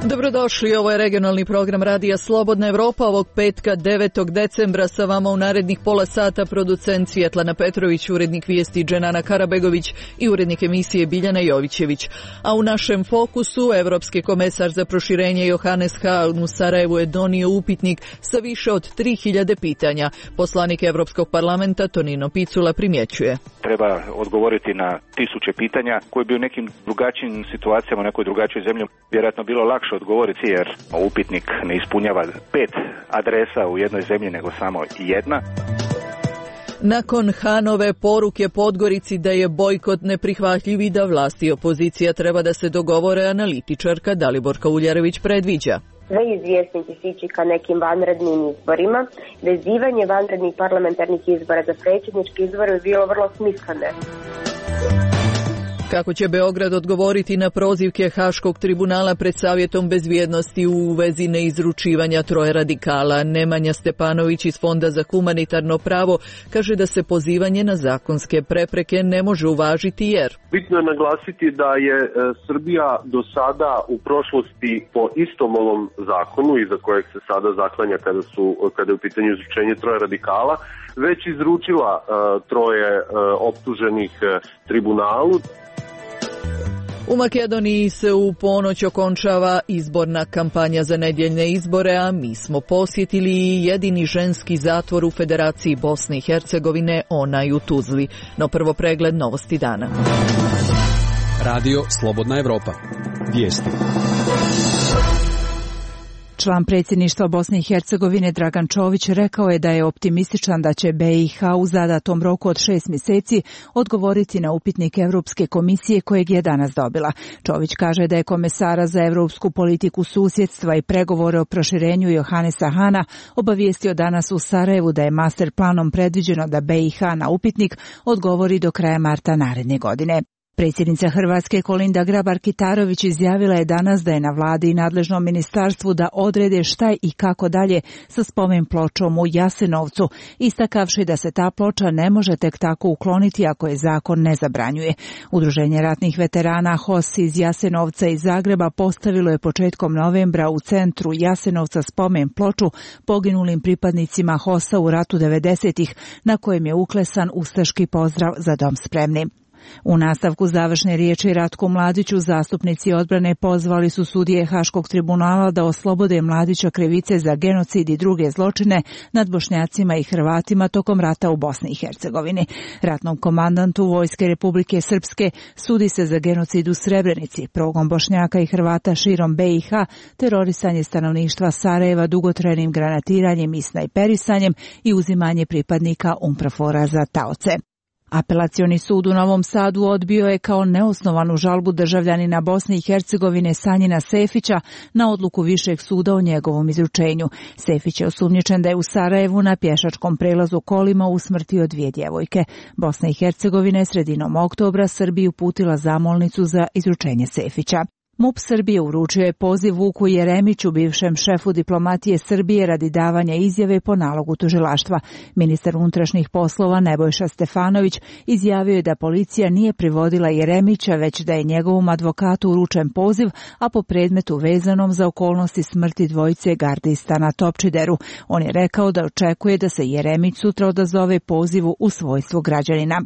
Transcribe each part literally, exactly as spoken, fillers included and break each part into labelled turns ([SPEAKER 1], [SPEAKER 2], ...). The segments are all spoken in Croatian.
[SPEAKER 1] Dobrodošli, ovo je regionalni program Radija Slobodna Evropa ovog petka devetog decembra. Sa vama u narednih pola sata producent Svjetlana Petrović, urednik vijesti Dženana Karabegović i urednik emisije Biljana Jovićević. A u našem fokusu Evropski komesar za proširenje Johannes Hahn u Sarajevu je donio upitnik sa više od tri hiljade pitanja. Poslanik Evropskog parlamenta Tonino Picula primjećuje.
[SPEAKER 2] Treba odgovoriti na tisuće pitanja koje bi u nekim drugačijim situacijama, u nekoj drugačijoj zemlji vjerojatno bilo lakše odgovoriti, jer upitnik ne ispunjava pet adresa u jednoj zemlji nego samo jedna.
[SPEAKER 1] Nakon Hanove poruke Podgorici da je bojkot neprihvatljiv i da vlasti i opozicija treba da se dogovore, analitičarka Daliborka Uljarević predviđa.
[SPEAKER 3] Sve izvjesnici sići ka nekim vanrednim izborima. Vezivanje vanrednih parlamentarnih izbora za predsjednički izbor je bilo vrlo smisleno.
[SPEAKER 1] Kako će Beograd odgovoriti na prozivke Haškog tribunala pred Savjetom bezbjednosti u vezi neizručivanja troje radikala? Nemanja Stepanović iz Fonda za humanitarno pravo kaže da se pozivanje na zakonske prepreke ne može uvažiti jer...
[SPEAKER 4] Bitno je naglasiti da je e, Srbija do sada u prošlosti po istom ovom zakonu, iza kojeg se sada zaklanja kada, su, kada je u pitanju izručenje troje radikala, već izručila e, troje e, optuženih e, tribunalu.
[SPEAKER 1] U Makedoniji se u ponoć okončava izborna kampanja za nedjeljne izbore, a mi smo posjetili jedini ženski zatvor u Federaciji Bosne i Hercegovine, onaj u Tuzli. No prvo pregled novosti dana.
[SPEAKER 5] Radio Slobodna Evropa. Vijesti.
[SPEAKER 6] Član predsjedništva Bosne i Hercegovine Dragan Čović rekao je da je optimističan da će B i H u zadatom roku od šest mjeseci odgovoriti na upitnik Europske komisije kojeg je danas dobila. Čović kaže da je komesara za europsku politiku susjedstva i pregovore o proširenju Johannesa Hahna obavijestio danas u Sarajevu da je master planom predviđeno da B i H na upitnik odgovori do kraja marta naredne godine. Predsjednica Hrvatske Kolinda Grabar-Kitarović izjavila je danas da je na vladi i nadležnom ministarstvu da odrede šta i kako dalje sa spomen pločom u Jasenovcu, istakavši da se ta ploča ne može tek tako ukloniti ako je zakon ne zabranjuje. Udruženje ratnih veterana H O S iz Jasenovca i Zagreba postavilo je početkom novembra u centru Jasenovca spomen ploču poginulim pripadnicima H O S-a u ratu devedesetih, na kojem je uklesan ustaški pozdrav za dom spremni. U nastavku završne riječi Ratku Mladiću zastupnici odbrane pozvali su sudije Haškog tribunala da oslobode Mladića krivice za genocid i druge zločine nad Bošnjacima i Hrvatima tokom rata u Bosni i Hercegovini. Ratnom komandantu Vojske Republike Srpske sudi se za genocid u Srebrenici, progon Bošnjaka i Hrvata širom B i H, terorisanje stanovništva Sarajeva dugotrajnim granatiranjem i snajperisanjem i uzimanje pripadnika UNPROFOR-a za taoce. Apelacioni sud u Novom Sadu odbio je kao neosnovanu žalbu državljanina Bosne i Hercegovine Sanjina Sefića na odluku Višeg suda o njegovom izručenju. Sefić je osumnjičen da je u Sarajevu na pješačkom prelazu kolima usmrtio dvije djevojke. Bosna i Hercegovina je sredinom oktobra Srbiji uputila zamolnicu za izručenje Sefića. MUP Srbije uručio je poziv Vuku Jeremiću, bivšem šefu diplomatije Srbije, radi davanja izjave po nalogu tužilaštva. Ministar unutrašnjih poslova Nebojša Stefanović izjavio je da policija nije privodila Jeremića, već da je njegovom advokatu uručen poziv, a po predmetu vezanom za okolnosti smrti dvojice gardista na Topčideru. On je rekao da očekuje da se Jeremić sutra odazove pozivu u svojstvu građanina.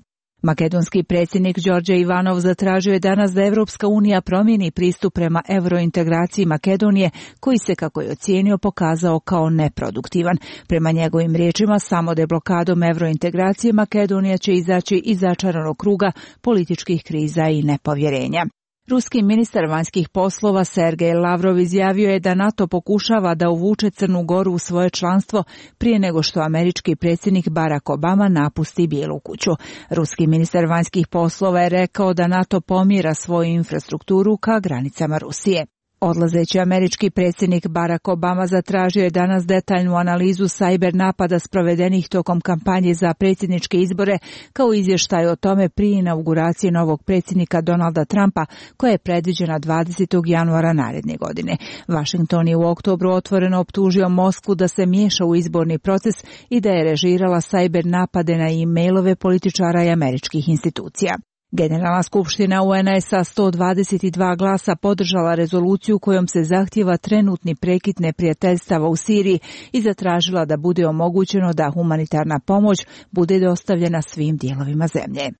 [SPEAKER 6] Makedonski predsjednik Đorđe Ivanov zatražio je danas da Evropska unija promijeni pristup prema eurointegraciji Makedonije, koji se, kako je ocijenio, pokazao kao neproduktivan. Prema njegovim riječima, samo deblokadom eurointegracije Makedonija će izaći iz začaranog kruga političkih kriza i nepovjerenja. Ruski ministar vanjskih poslova Sergej Lavrov izjavio je da NATO pokušava da uvuče Crnu Goru u svoje članstvo prije nego što američki predsjednik Barack Obama napusti Bijelu kuću. Ruski ministar vanjskih poslova je rekao da NATO pomjera svoju infrastrukturu ka granicama Rusije. Odlazeći američki predsjednik Barack Obama zatražio je danas detaljnu analizu sajber napada sprovedenih tokom kampanje za predsjedničke izbore, kao izvještaj o tome prije inauguracije novog predsjednika Donalda Trumpa, koja je predviđena dvadesetog januara naredne godine. Washington je u oktobru otvoreno optužio Moskvu da se miješa u izborni proces i da je režirala sajber napade na e-mailove političara i američkih institucija. Generalna skupština U N-a je sa sto dvadeset dva glasa podržala rezoluciju kojom se zahtijeva trenutni prekid neprijateljstava u Siriji i zatražila da bude omogućeno da humanitarna pomoć bude dostavljena svim dijelovima zemlje.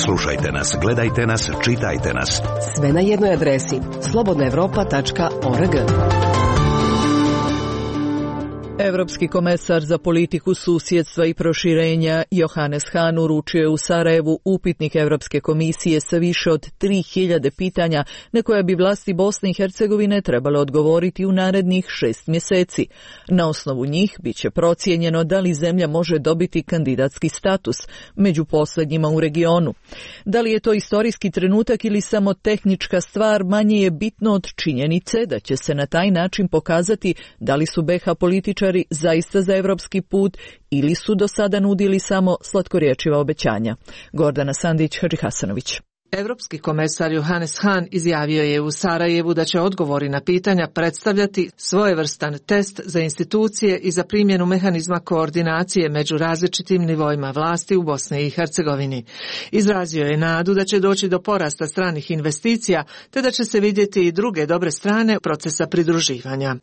[SPEAKER 7] Slušajte nas, gledajte nas, čitajte nas.
[SPEAKER 8] Sve na jednoj adresi slobodna evropa tačka org.
[SPEAKER 1] Evropski komesar za politiku susjedstva i proširenja Johannes Hahn uručio je u Sarajevu upitnik Evropske komisije sa više od tri hiljade pitanja na koja bi vlasti Bosne i Hercegovine trebale odgovoriti u narednih šest mjeseci. Na osnovu njih bit će procijenjeno da li zemlja može dobiti kandidatski status, među posljednjima u regionu. Da li je to istorijski trenutak ili samo tehnička stvar, manje je bitno od činjenice da će se na taj način pokazati da li su B iH političari zaista za evropski put ili su do sada nudili samo slatkorječiva obećanja. Gordana Sandić, Hadži Hasanović.
[SPEAKER 9] Evropski komesar Johannes Hahn izjavio je u Sarajevu da će odgovori na pitanja predstavljati svojevrstan test za institucije i za primjenu mehanizma koordinacije među različitim nivoima vlasti u Bosni i Hercegovini. Izrazio je nadu da će doći do porasta stranih investicija te da će se vidjeti i druge dobre strane procesa pridruživanja.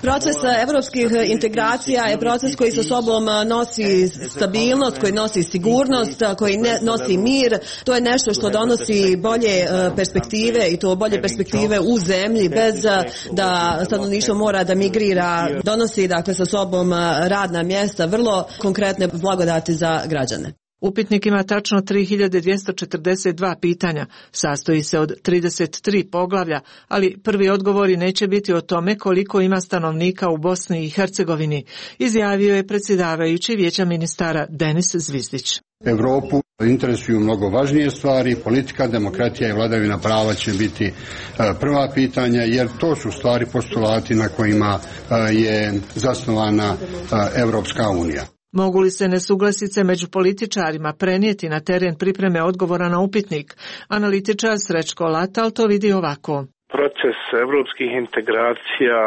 [SPEAKER 10] Proces evropskih integracija je proces koji sa sobom nosi stabilnost, koji nosi sigurnost, koji ne nosi mir. To je nešto što donosi bolje perspektive i to bolje perspektive u zemlji bez da stanovništvo mora da migrira. Donosi dakle sa sobom radna mjesta, vrlo konkretne blagodati za građane.
[SPEAKER 9] Upitnik ima tačno tri hiljade dvjesto četrdeset dva pitanja, sastoji se od trideset tri poglavlja, ali prvi odgovori neće biti o tome koliko ima stanovnika u Bosni i Hercegovini, izjavio je predsjedavajući Vijeća ministara Denis Zvizdić.
[SPEAKER 11] Europu interesuju mnogo važnije stvari, politika, demokratija i vladavina prava će biti prva pitanja, jer to su stvari postulati na kojima je zasnovana Europska unija.
[SPEAKER 9] Mogu li se nesuglasice među političarima prenijeti na teren pripreme odgovora na upitnik? Analitičar Srećko Latal to vidi ovako.
[SPEAKER 12] Proces evropskih integracija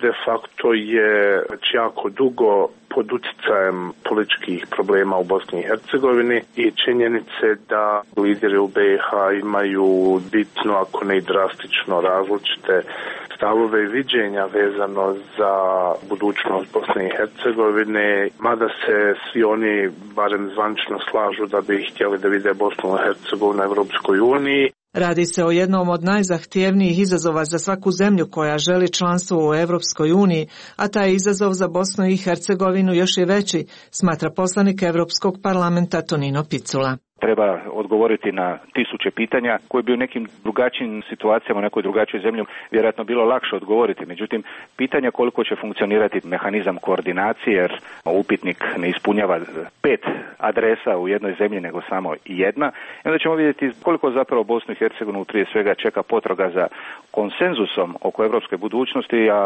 [SPEAKER 12] de facto je već jako dugo pod utjecajem političkih problema u Bosni i Hercegovini i činjenice da lideri u B iH imaju bitno, ako ne i drastično različite stavove i viđenja vezano za budućnost Bosne i Hercegovine, mada se svi oni barem zvančno slažu da bi htjeli da vide Bosnu i Hercegovinu na Evropskoj uniji.
[SPEAKER 9] Radi se o jednom od najzahtjevnijih izazova za svaku zemlju koja želi članstvo u Evropskoj uniji, a taj izazov za Bosnu i Hercegovinu još je veći, smatra poslanik Europskog parlamenta Tonino Picula.
[SPEAKER 2] Treba odgovoriti na tisuće pitanja koje bi u nekim drugačijim situacijama, u nekoj drugačijoj zemlji vjerojatno bilo lakše odgovoriti. Međutim, pitanja koliko će funkcionirati mehanizam koordinacije, jer upitnik ne ispunjava pet adresa u jednoj zemlji, nego samo jedna. I onda ćemo vidjeti koliko zapravo Bosnu i Hercegovinu prije svega čeka potraga za konsenzusom oko europske budućnosti, a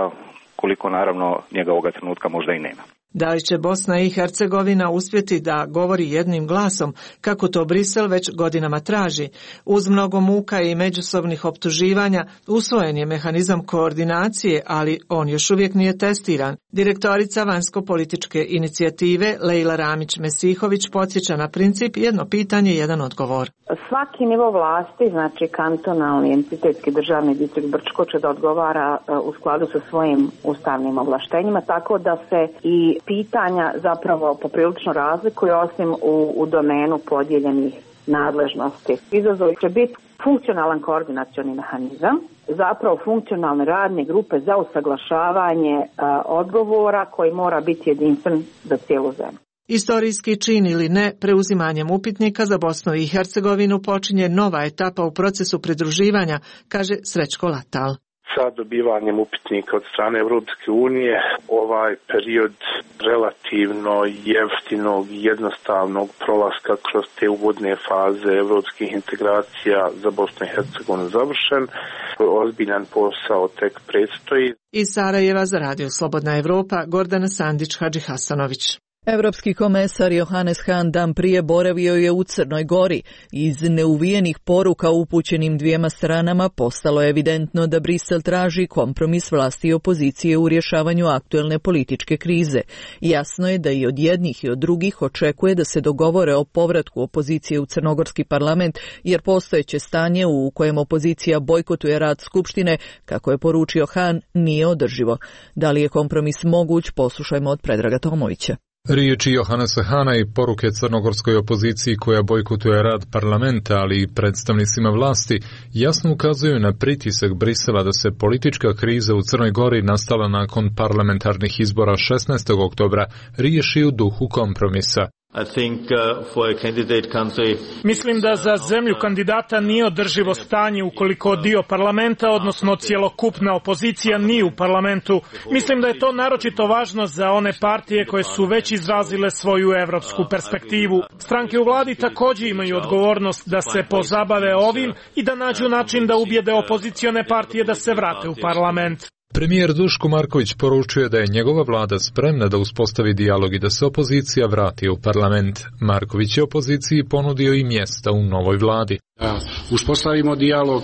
[SPEAKER 2] koliko naravno njega ovoga trenutka možda i nema.
[SPEAKER 9] Da li će Bosna i Hercegovina uspjeti da govori jednim glasom, kako to Brisel već godinama traži? Uz mnogo muka i međusobnih optuživanja usvojen je mehanizam koordinacije, ali on još uvijek nije testiran. Direktorica vanjsko-političke inicijative Lejla Ramić-Mesihović podsjeća na princip jedno pitanje, jedan odgovor.
[SPEAKER 13] Svaki nivo vlasti, znači kantonalni, entitetski, državni distrikt Brčko će da odgovara u skladu sa svojim ustavnim ovlaštenjima, tako da se i pitanja zapravo poprilično razlikuju osim u, u domenu podijeljenih nadležnosti. Izazov će biti funkcionalan koordinacioni mehanizam, zapravo funkcionalne radne grupe za usaglašavanje a, odgovora koji mora biti jedinstven za cijelu zemlju.
[SPEAKER 9] Istorijski čin ili ne, preuzimanjem upitnika za Bosnu i Hercegovinu počinje nova etapa u procesu pridruživanja, kaže Srećko Latal.
[SPEAKER 12] Sa dobivanjem upitnika od strane Europske unije ovaj period relativno jeftinog i jednostavnog prolaska kroz te uvodne faze europskih integracija za Bosnu i Hercegovinu završen. Ozbiljan posao tek predstoji.
[SPEAKER 9] Iz Sarajeva za Radio Slobodna Evropa, Gordana Sandić, Hadži Hasanović.
[SPEAKER 1] Evropski komesar Johannes Hahn dan prije boravio je u Crnoj Gori. Iz neuvijenih poruka upućenim dvijema stranama postalo je evidentno da Brisel traži kompromis vlasti i opozicije u rješavanju aktuelne političke krize. Jasno je da i od jednih i od drugih očekuje da se dogovore o povratku opozicije u crnogorski parlament, jer postojeće stanje u kojem opozicija bojkotuje rad Skupštine, kako je poručio Hahn, nije održivo. Da li je kompromis moguć, poslušajmo od Predraga Tomovića.
[SPEAKER 14] Riječi Johannesa Hahna i poruke crnogorskoj opoziciji koja bojkotuje rad parlamenta, ali i predstavnicima vlasti, jasno ukazuju na pritisak Brisela da se politička kriza u Crnoj Gori nastala nakon parlamentarnih izbora šesnaestog oktobra riješi u duhu kompromisa.
[SPEAKER 15] I think, uh, for a candidate country...
[SPEAKER 16] Mislim da za zemlju kandidata nije održivo stanje ukoliko dio parlamenta, odnosno cjelokupna opozicija, nije u parlamentu. Mislim da je to naročito važno za one partije koje su već izrazile svoju evropsku perspektivu. Stranke u vladi također imaju odgovornost da se pozabave ovim i da nađu način da ubijede opozicione partije da se vrate u parlament.
[SPEAKER 14] Premijer Duško Marković poručuje da je njegova vlada spremna da uspostavi dijalog i da se opozicija vrati u parlament. Marković je opoziciji ponudio i mjesta u novoj vladi.
[SPEAKER 17] Da uspostavimo dijalog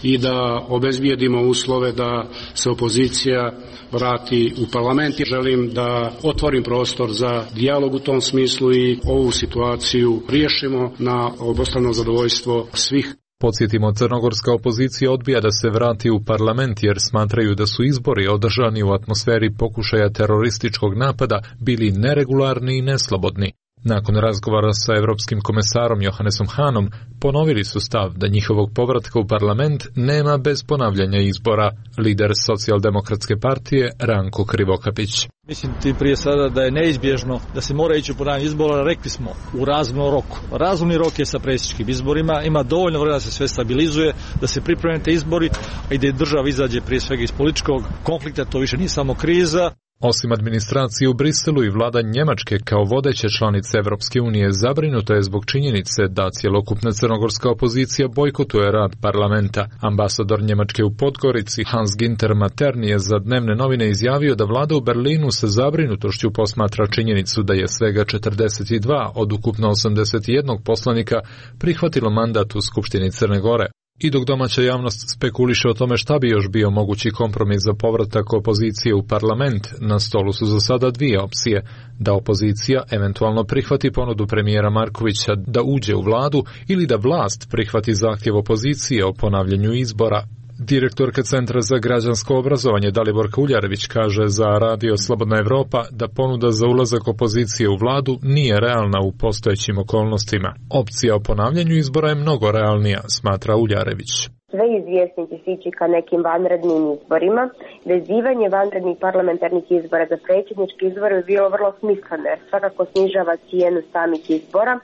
[SPEAKER 17] i da obezbijedimo uslove da se opozicija vrati u parlament. Želim da otvorim prostor za dijalog u tom smislu i ovu situaciju riješimo na obostrano zadovoljstvo svih.
[SPEAKER 14] Podsjetimo, crnogorska opozicija odbija da se vrati u parlament jer smatraju da su izbori održani u atmosferi pokušaja terorističkog napada bili neregularni i neslobodni. Nakon razgovora sa Europskim komesarom Johannesom Hahnom ponovili su stav da njihovog povratka u parlament nema bez ponavljanja izbora. Lider socijaldemokratske partije Ranko Krivokapić.
[SPEAKER 18] Mislim ti prije sada da je neizbježno da se mora ići u ponavljanje izbora, rekli smo, u razumnom roku. Razumni rok je sa predsjedničkim izborima, ima dovoljno vremena da se sve stabilizuje, da se pripreme te izbori i da država izađe prije svega iz političkog konflikta, to više nije samo kriza.
[SPEAKER 14] Osim administracije u Briselu i vlada Njemačke kao vodeće članice Evropske unije zabrinuta je zbog činjenice da cjelokupna crnogorska opozicija bojkotuje rad parlamenta. Ambasador Njemačke u Podgorici Hans Ginter Materni je za dnevne novine izjavio da vlada u Berlinu sa zabrinutošću posmatra činjenicu da je svega četrdeset dva od ukupno osamdeset jedan poslanika prihvatilo mandat u Skupštini Crne Gore. I dok domaća javnost spekuliše o tome šta bi još bio mogući kompromis za povratak opozicije u parlament, na stolu su za sada dvije opcije: da opozicija eventualno prihvati ponudu premijera Markovića da uđe u vladu ili da vlast prihvati zahtjev opozicije o ponavljanju izbora. Direktorka Centra za građansko obrazovanje Daliborka Uljarević kaže za Radio Slobodna Evropa da ponuda za ulazak opozicije u vladu nije realna u postojećim okolnostima. Opcija o ponavljanju izbora je mnogo realnija, smatra Uljarević.
[SPEAKER 3] Sve izvjesnici sići ka nekim vanrednim izborima. Vezivanje vanrednih parlamentarnih izbora za predsjednički izbor je bilo vrlo smisleno jer svakako snižava cijenu samih izbora,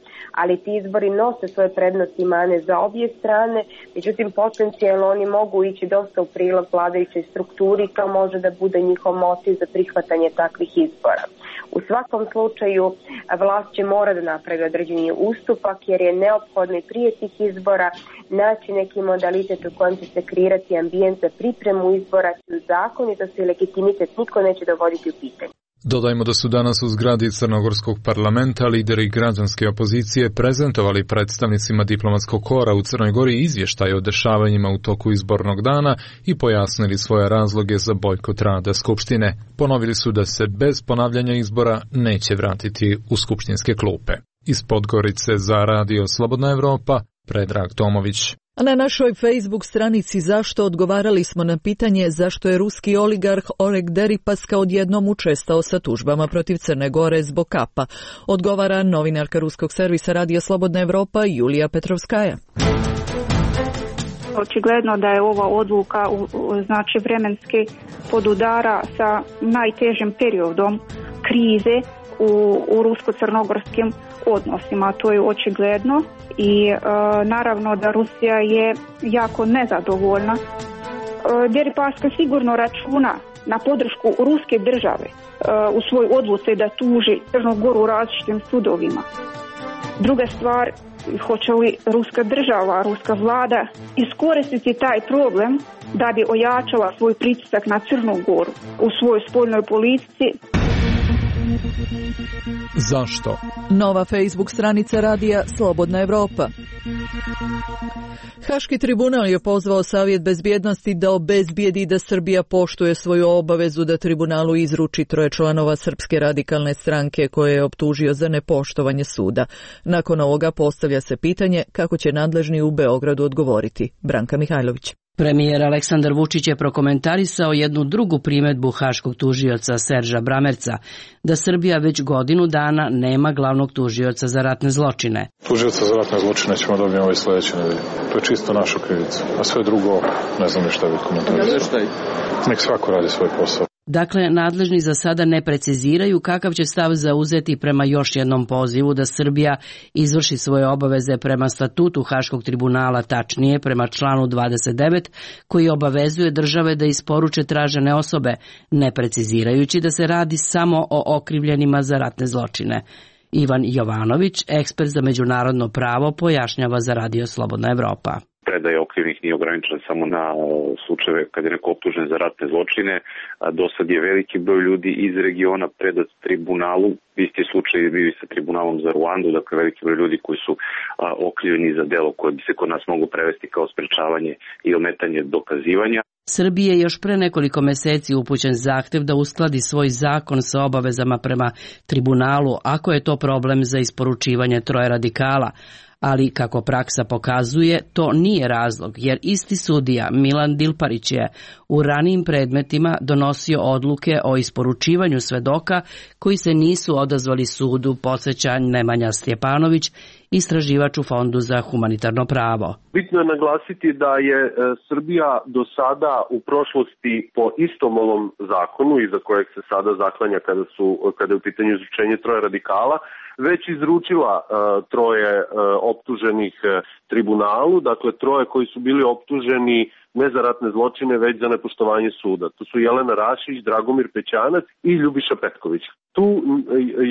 [SPEAKER 3] ali ti izbori nose svoje prednosti i mane za obje strane, međutim potencijalno oni mogu ići dosta u prilog vladajućoj strukturi, to može da bude njihov motiv za prihvatanje takvih izbora. U svakom slučaju vlast će mora da napravi određeni ustupak jer je neophodno i prije tih izbora naći neki modalitet u kojem će se kreirati ambijent za pripremu izbora, zakonitost i legitimitet niko neće dovoditi u pitanje.
[SPEAKER 14] Dodajmo da su danas u zgradi Crnogorskog parlamenta lideri građanske opozicije prezentovali predstavnicima diplomatskog kora u Crnoj Gori izvještaj o dešavanjima u toku izbornog dana i pojasnili svoje razloge za bojkot rada Skupštine. Ponovili su da se bez ponavljanja izbora neće vratiti u skupštinske klupe. Iz Podgorice za Radio Slobodna Evropa, Predrag Tomović.
[SPEAKER 1] A na našoj Facebook stranici Zašto odgovarali smo na pitanje zašto je ruski oligarh Oleg Deripaska odjednom učestao sa tužbama protiv Crne Gore zbog kapa. Odgovara novinarka ruskog servisa Radio Slobodna Evropa Julija Petrovskaja.
[SPEAKER 19] Očigledno da je ova odluka znači vremenski podudara sa najtežim periodom krize u, u rusko-crnogorskim odnosima. To je očigledno i e, naravno da Rusija je jako nezadovoljna. E, Deripaska sigurno računa na podršku ruske države e, u svoj odluci da tuži Crnu Goru u različitim sudovima. Druga stvar, hoće li ruska država, ruska vlada iskoristiti taj problem da bi ojačala svoj pritisak na Crnu Goru u svojoj spoljnoj politici.
[SPEAKER 14] Zašto?
[SPEAKER 1] Nova Facebook stranica radija Slobodna Evropa. Haški tribunal je pozvao Savjet bezbjednosti da obezbijedi da Srbija poštuje svoju obavezu da tribunalu izruči troje članova Srpske radikalne stranke koje je optužio za nepoštovanje suda. Nakon ovoga postavlja se pitanje kako će nadležni u Beogradu odgovoriti. Branka Mihajlović.
[SPEAKER 20] Premijer Aleksandar Vučić je prokomentarisao jednu drugu primedbu haškog tužioca Serža Bramerca, da Srbija već godinu dana nema glavnog tužioca za ratne zločine.
[SPEAKER 21] Tužioca za ratne zločine ćemo dobiti ovaj sljedeće nedelje. To je čisto naša krivica. A sve drugo, ne znam ni šta bih komentarisao. Nek svako radi svoj posao.
[SPEAKER 20] Dakle, nadležni za sada ne preciziraju kakav će stav zauzeti prema još jednom pozivu da Srbija izvrši svoje obaveze prema statutu Haškog tribunala, tačnije prema članu dvadeset devet, koji obavezuje države da isporuče tražene osobe, ne precizirajući da se radi samo o okrivljenima za ratne zločine. Ivan Jovanović, ekspert za međunarodno pravo, pojašnjava za Radio Slobodna Evropa.
[SPEAKER 22] Predaja okrivljenih nije ograničena samo na slučajeve kad je neko optužen za ratne zločine. Do sad je veliki broj ljudi iz regiona predat tribunalu. Isti slučaj je bio i sa tribunalom za Ruandu, dakle veliki broj ljudi koji su okrivljeni za delo koje bi se kod nas moglo prevesti kao sprečavanje i ometanje dokazivanja.
[SPEAKER 20] Srbiji je još pre nekoliko meseci upućen zahtev da uskladi svoj zakon sa obavezama prema tribunalu, ako je to problem za isporučivanje troje radikala. Ali, kako praksa pokazuje, to nije razlog, jer isti sudija Milan Dilparić je u ranijim predmetima donosio odluke o isporučivanju svedoka koji se nisu odazvali sudu, podsjeća Nemanja Stjepanović, istraživač u Fondu za humanitarno pravo.
[SPEAKER 4] Bitno je naglasiti da je Srbija do sada u prošlosti po istom ovom zakonu, iza kojeg se sada zaklanja kada, su, kada je u pitanju izručenje troje radikala, već izručila uh, troje uh, optuženih uh, tribunalu, dakle troje koji su bili optuženi ne za ratne zločine, već za nepoštovanje suda. To su Jelena Rašić, Dragomir Pećanac i Ljubiša Petković. Tu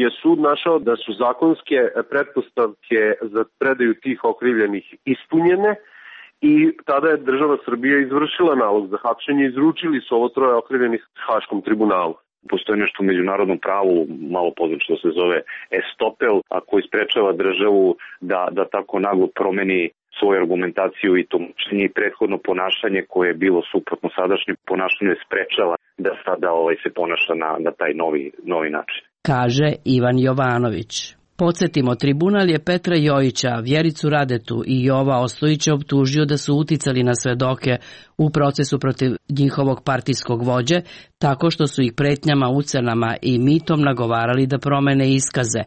[SPEAKER 4] je sud našao da su zakonske pretpostavke za predaju tih okrivljenih ispunjene i tada je država Srbija izvršila nalog za hapšenje i izručili su ovo troje okrivljenih Haškom tribunalu.
[SPEAKER 22] Postoji nešto u međunarodnom pravu, malo poznato što se zove estopel, a koji sprečava državu da, da tako naglo promeni svoju argumentaciju i to i prethodno ponašanje koje je bilo suprotno sadašnjem ponašanju sprečava da sada ovaj se ponaša na, na taj novi, novi način.
[SPEAKER 20] Kaže Ivan Jovanović. Podsjetimo, tribunal je Petra Jojića, Vjericu Radetu i Jova Ostojića optužio da su uticali na svedoke u procesu protiv njihovog partijskog vođe, tako što su ih pretnjama, ucenama i mitom nagovarali da promene iskaze.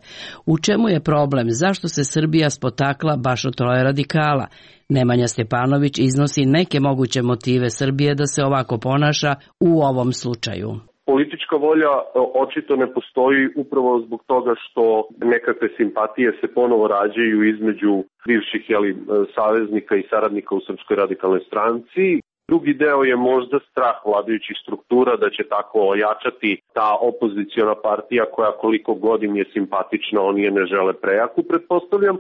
[SPEAKER 20] U čemu je problem? Zašto se Srbija spotakla baš od troje radikala? Nemanja Stjepanović iznosi neke moguće motive Srbije da se ovako ponaša u ovom slučaju.
[SPEAKER 4] Politička volja očito ne postoji upravo zbog toga što nekakve simpatije se ponovo rađaju između bivših jeli, saveznika i saradnika u Srpskoj radikalnoj stranci. Drugi deo je možda strah vladajućih struktura da će tako ojačati ta opoziciona partija koja koliko godin je simpatična, oni je ne žele prejaku, pretpostavljam.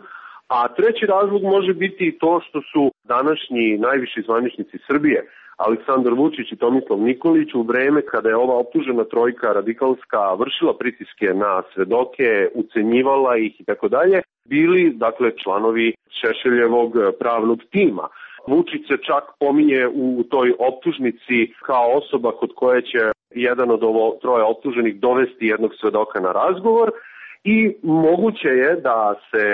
[SPEAKER 4] A treći razlog može biti i to što su današnji najviši zvaničnici Srbije, Aleksandar Vučić i Tomislav Nikolić, u vreme kada je ova optužena trojka radikalska vršila pritiske na svedoke, ucenjivala ih i tako dalje, bili dakle članovi Šešeljevog pravnog tima. Vučić se čak pominje u toj optužnici kao osoba kod koje će jedan od ovo troje optuženih dovesti jednog svedoka na razgovor i moguće je da se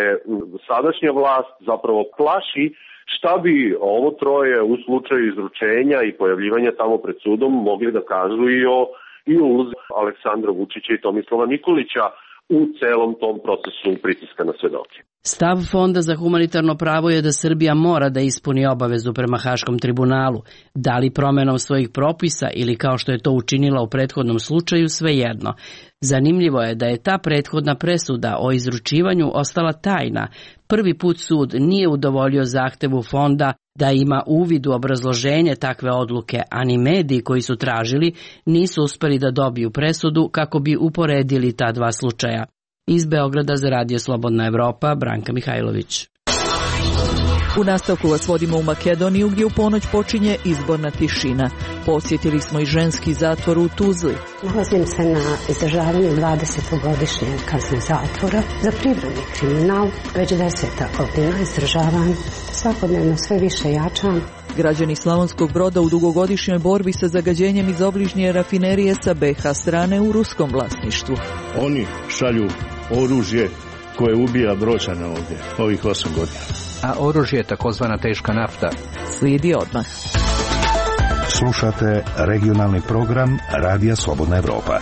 [SPEAKER 4] sadašnja vlast zapravo plaši šta bi ovo troje u slučaju izručenja i pojavljivanja tamo pred sudom mogli da kažu i o, i o ulozi Aleksandra Vučića i Tomislava Nikolića u celom tom procesu pritiska na svedoke.
[SPEAKER 20] Stav Fonda za humanitarno pravo je da Srbija mora da ispuni obavezu prema Haškom tribunalu, da li promenom svojih propisa ili kao što je to učinila u prethodnom slučaju, svejedno. Zanimljivo je da je ta prethodna presuda o izručivanju ostala tajna. Prvi put sud nije udovoljio zahtevu Fonda da ima uvid u obrazloženje takve odluke, a ni mediji koji su tražili nisu uspeli da dobiju presudu kako bi uporedili ta dva slučaja. Iz Beograda za Radio Slobodna Evropa, Branka Mihajlović.
[SPEAKER 1] U nastavku vas vodimo u Makedoniju gdje u ponoć počinje izborna tišina. Posjetili smo i ženski zatvor u Tuzli.
[SPEAKER 5] Nalazim se na izdržavanju dvadesetogodišnje kazne zatvora za privredni kriminal. Već deseta godina izdržavam, svakodnevno sve više jačam.
[SPEAKER 1] Građani Slavonskog Broda u dugogodišnjoj borbi sa zagađenjem iz obližnje rafinerije sa be ha strane u ruskom vlasništvu.
[SPEAKER 6] Oni šalju oružje koje ubija Bročane ovdje, ovih osam godina.
[SPEAKER 23] A oružje je takozvana teška nafta.
[SPEAKER 1] Slijedi odmah.
[SPEAKER 7] Slušate regionalni program Radija Slobodna Evropa.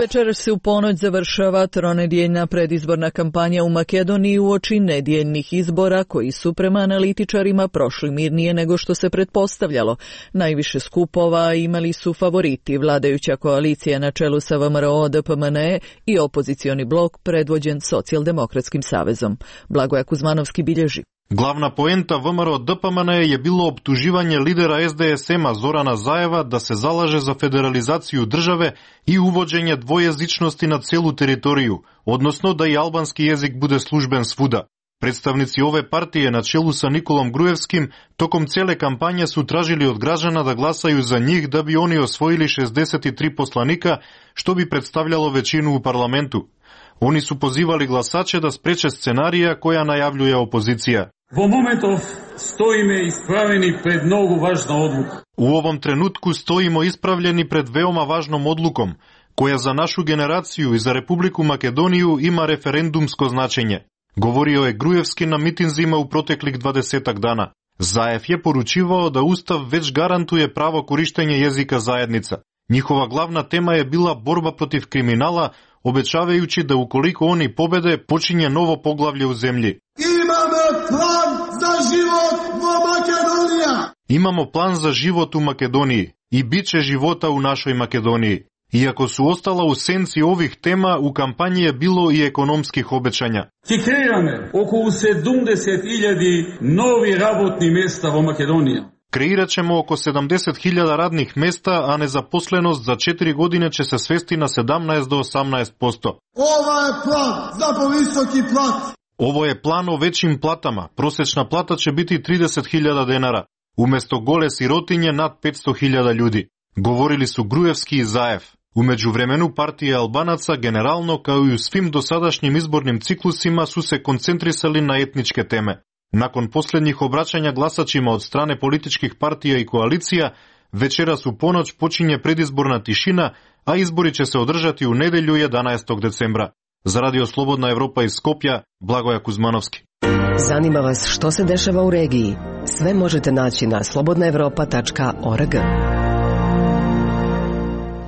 [SPEAKER 1] Večeras se u ponoć završava tronedjeljna predizborna kampanja u Makedoniji uoči nedjeljnih izbora koji su prema analitičarima prošli mirnije nego što se pretpostavljalo. Najviše skupova imali su favoriti, vladajuća koalicija na čelu sa ve em er o de pe em en e i opozicioni blok predvođen Socijaldemokratskim savezom. Blagoja Kuzmanovski bilježi.
[SPEAKER 24] Glavna poenta ve em er o de pe em en e je bilo optuživanje lidera es de es ema Zorana Zajeva da se zalaže za federalizaciju države i uvođenje dvojezičnosti na celu teritoriju, odnosno da i albanski jezik bude služben svuda. Predstavnici ove partije na čelu sa Nikolom Grujevskim tokom cijele kampanje su tražili od građana da glasaju za njih da bi oni osvojili šezdeset tri poslanika, što bi predstavljalo većinu u parlamentu. Oni su pozivali glasače da spreče scenarija koja najavljuje opozicija.
[SPEAKER 25] Vo momentov stojime ispravljeni pred mnogo važna odluka.
[SPEAKER 24] U ovom trenutku stojimo ispravljeni pred veoma važnom odlukom, koja za našu generaciju i za Republiku Makedoniju ima referendumsko značenje. Govorio je Grujevski na mitinzima u proteklih dvadesetak dana. Zajev je poručivao da Ustav već garantuje pravo korištenje jezika zajednica. Njihova glavna tema je bila borba protiv kriminala, obećavajući da ukoliko oni pobede, počinje novo poglavlje u zemlji.
[SPEAKER 25] Imamo plan za život u Makedoniji.
[SPEAKER 24] Imamo plan za život u Makedoniji i bit će života u našoj Makedoniji. Iako su ostala u senci ovih tema, u kampanji je bilo i ekonomskih obećanja.
[SPEAKER 25] Ki kreirаме oko sedamdeset hiljada novi rabotni mjesta u Makedoniji.
[SPEAKER 24] Kreirat ćemo oko sedamdeset hiljada radnih mesta, a nezaposlenost za četiri godine će se svesti na sedamnaest do osamnaest posto.
[SPEAKER 25] Ovo je plan za povisoki plat.
[SPEAKER 24] Ovo je plan o većim platama. Prosječna plata će biti trideset hiljada denara. Umjesto gole sirotinje nad petsto hiljada ljudi. Govorili su Grujevski i Zajev. U međuvremenu partije Albanaca generalno kao i u svim dosadašnjim izbornim ciklusima su se koncentrisali na etničke teme. Nakon posljednjih obraćanja glasačima od strane političkih partija i koalicija, večeras u ponoć počinje predizborna tišina, a izbori će se održati u nedjelju jedanaestog decembra. Za Radio Slobodna Evropa iz Skopja, Blagoja Kuzmanovski.
[SPEAKER 8] Zanima vas što se dešava u regiji? Sve možete naći na slobodna evropa tačka org.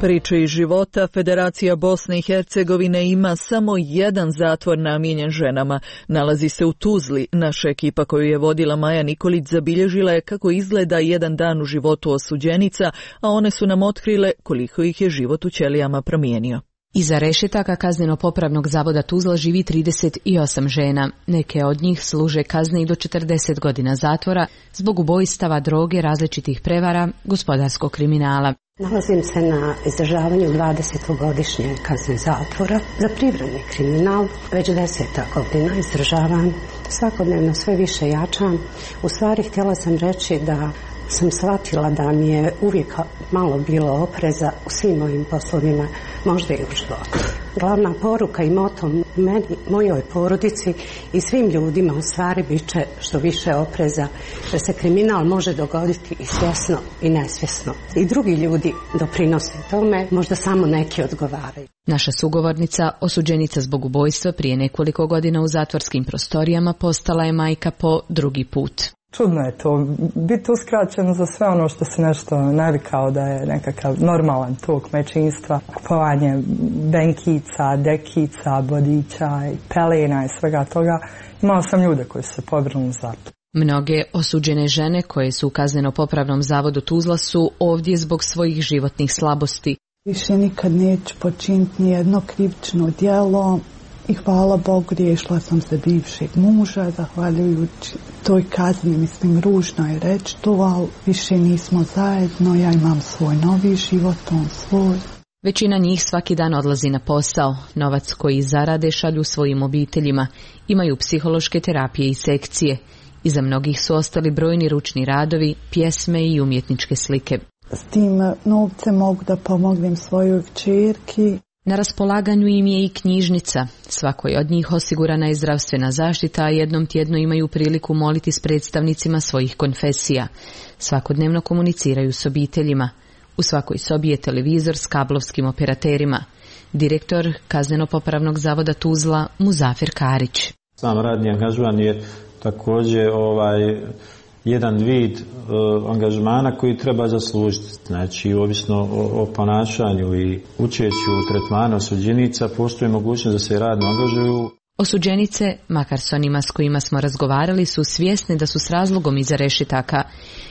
[SPEAKER 1] Priče iz života. Federacija Bosne i Hercegovine ima samo jedan zatvor namijenjen ženama. Nalazi se u Tuzli. Naša ekipa koju je vodila Maja Nikolić zabilježila je kako izgleda jedan dan u životu osuđenica, a one su nam otkrile koliko ih je život u ćelijama promijenio.
[SPEAKER 26] Iza rešetaka kazneno-popravnog zavoda Tuzla živi trideset osam žena. Neke od njih služe kazne i do četrdeset godina zatvora zbog ubojstava, droge, različitih prevara, gospodarskog kriminala.
[SPEAKER 5] Nalazim se na izdržavanju dvadesetogodišnje kazne zatvora za privredni kriminal. Već deseta godina izdržavam, svakodnevno sve više jačam. U stvari htjela sam reći da sam shvatila da mi je uvijek malo bilo opreza u svim mojim poslovima, možda i u životu. Glavna poruka i moto meni, mojoj porodici i svim ljudima u stvari bit će što više opreza, jer se kriminal može dogoditi i svjesno i nesvjesno. I drugi ljudi doprinose tome, možda samo neki odgovaraju.
[SPEAKER 26] Naša sugovornica, osuđenica zbog ubojstva prije nekoliko godina u zatvorskim prostorijama, postala je majka po drugi put.
[SPEAKER 27] Čudno je to, biti uskraćeno za sve ono što se nešto navikao da je nekakav normalan tok majčinstva, kupovanje benkica, dekica, bodića, pelena i svega toga. Imao sam ljude koji su se pobrinuli za to.
[SPEAKER 26] Mnoge osuđene žene koje su u kazneno-popravnom zavodu Tuzla su ovdje zbog svojih životnih slabosti.
[SPEAKER 28] Više nikad neću počiniti nijedno krivično djelo. I hvala Bogu, riješila sam se bivšeg muža, zahvaljujući toj kazni, mislim, ružno je reći to, ali više nismo zajedno, ja imam svoj novi život, on svoj.
[SPEAKER 26] Većina njih svaki dan odlazi na posao, novac koji zarade šalju svojim obiteljima, imaju psihološke terapije i sekcije. Iza mnogih su ostali brojni ručni radovi, pjesme i umjetničke slike.
[SPEAKER 28] S tim novcem mogu da pomognem svojoj kćerki.
[SPEAKER 26] Na raspolaganju im je i knjižnica. Svakoj od njih osigurana je zdravstvena zaštita, a jednom tjedno imaju priliku moliti s predstavnicima svojih konfesija. Svakodnevno komuniciraju s obiteljima. U svakoj sobi je televizor s kablovskim operaterima. Direktor Kazneno-popravnog zavoda Tuzla Muzafir Karić.
[SPEAKER 2] Sam radni angažman je također ovaj jedan vid uh, angažmana koji treba zaslužiti. Znači, ovisno o, o ponašanju i učešću u tretmanu osuđenica, postoji mogućnost da se radno angažuju.
[SPEAKER 26] Osuđenice, makar s onima s kojima smo razgovarali, su svjesni da su s razlogom iza rešetaka.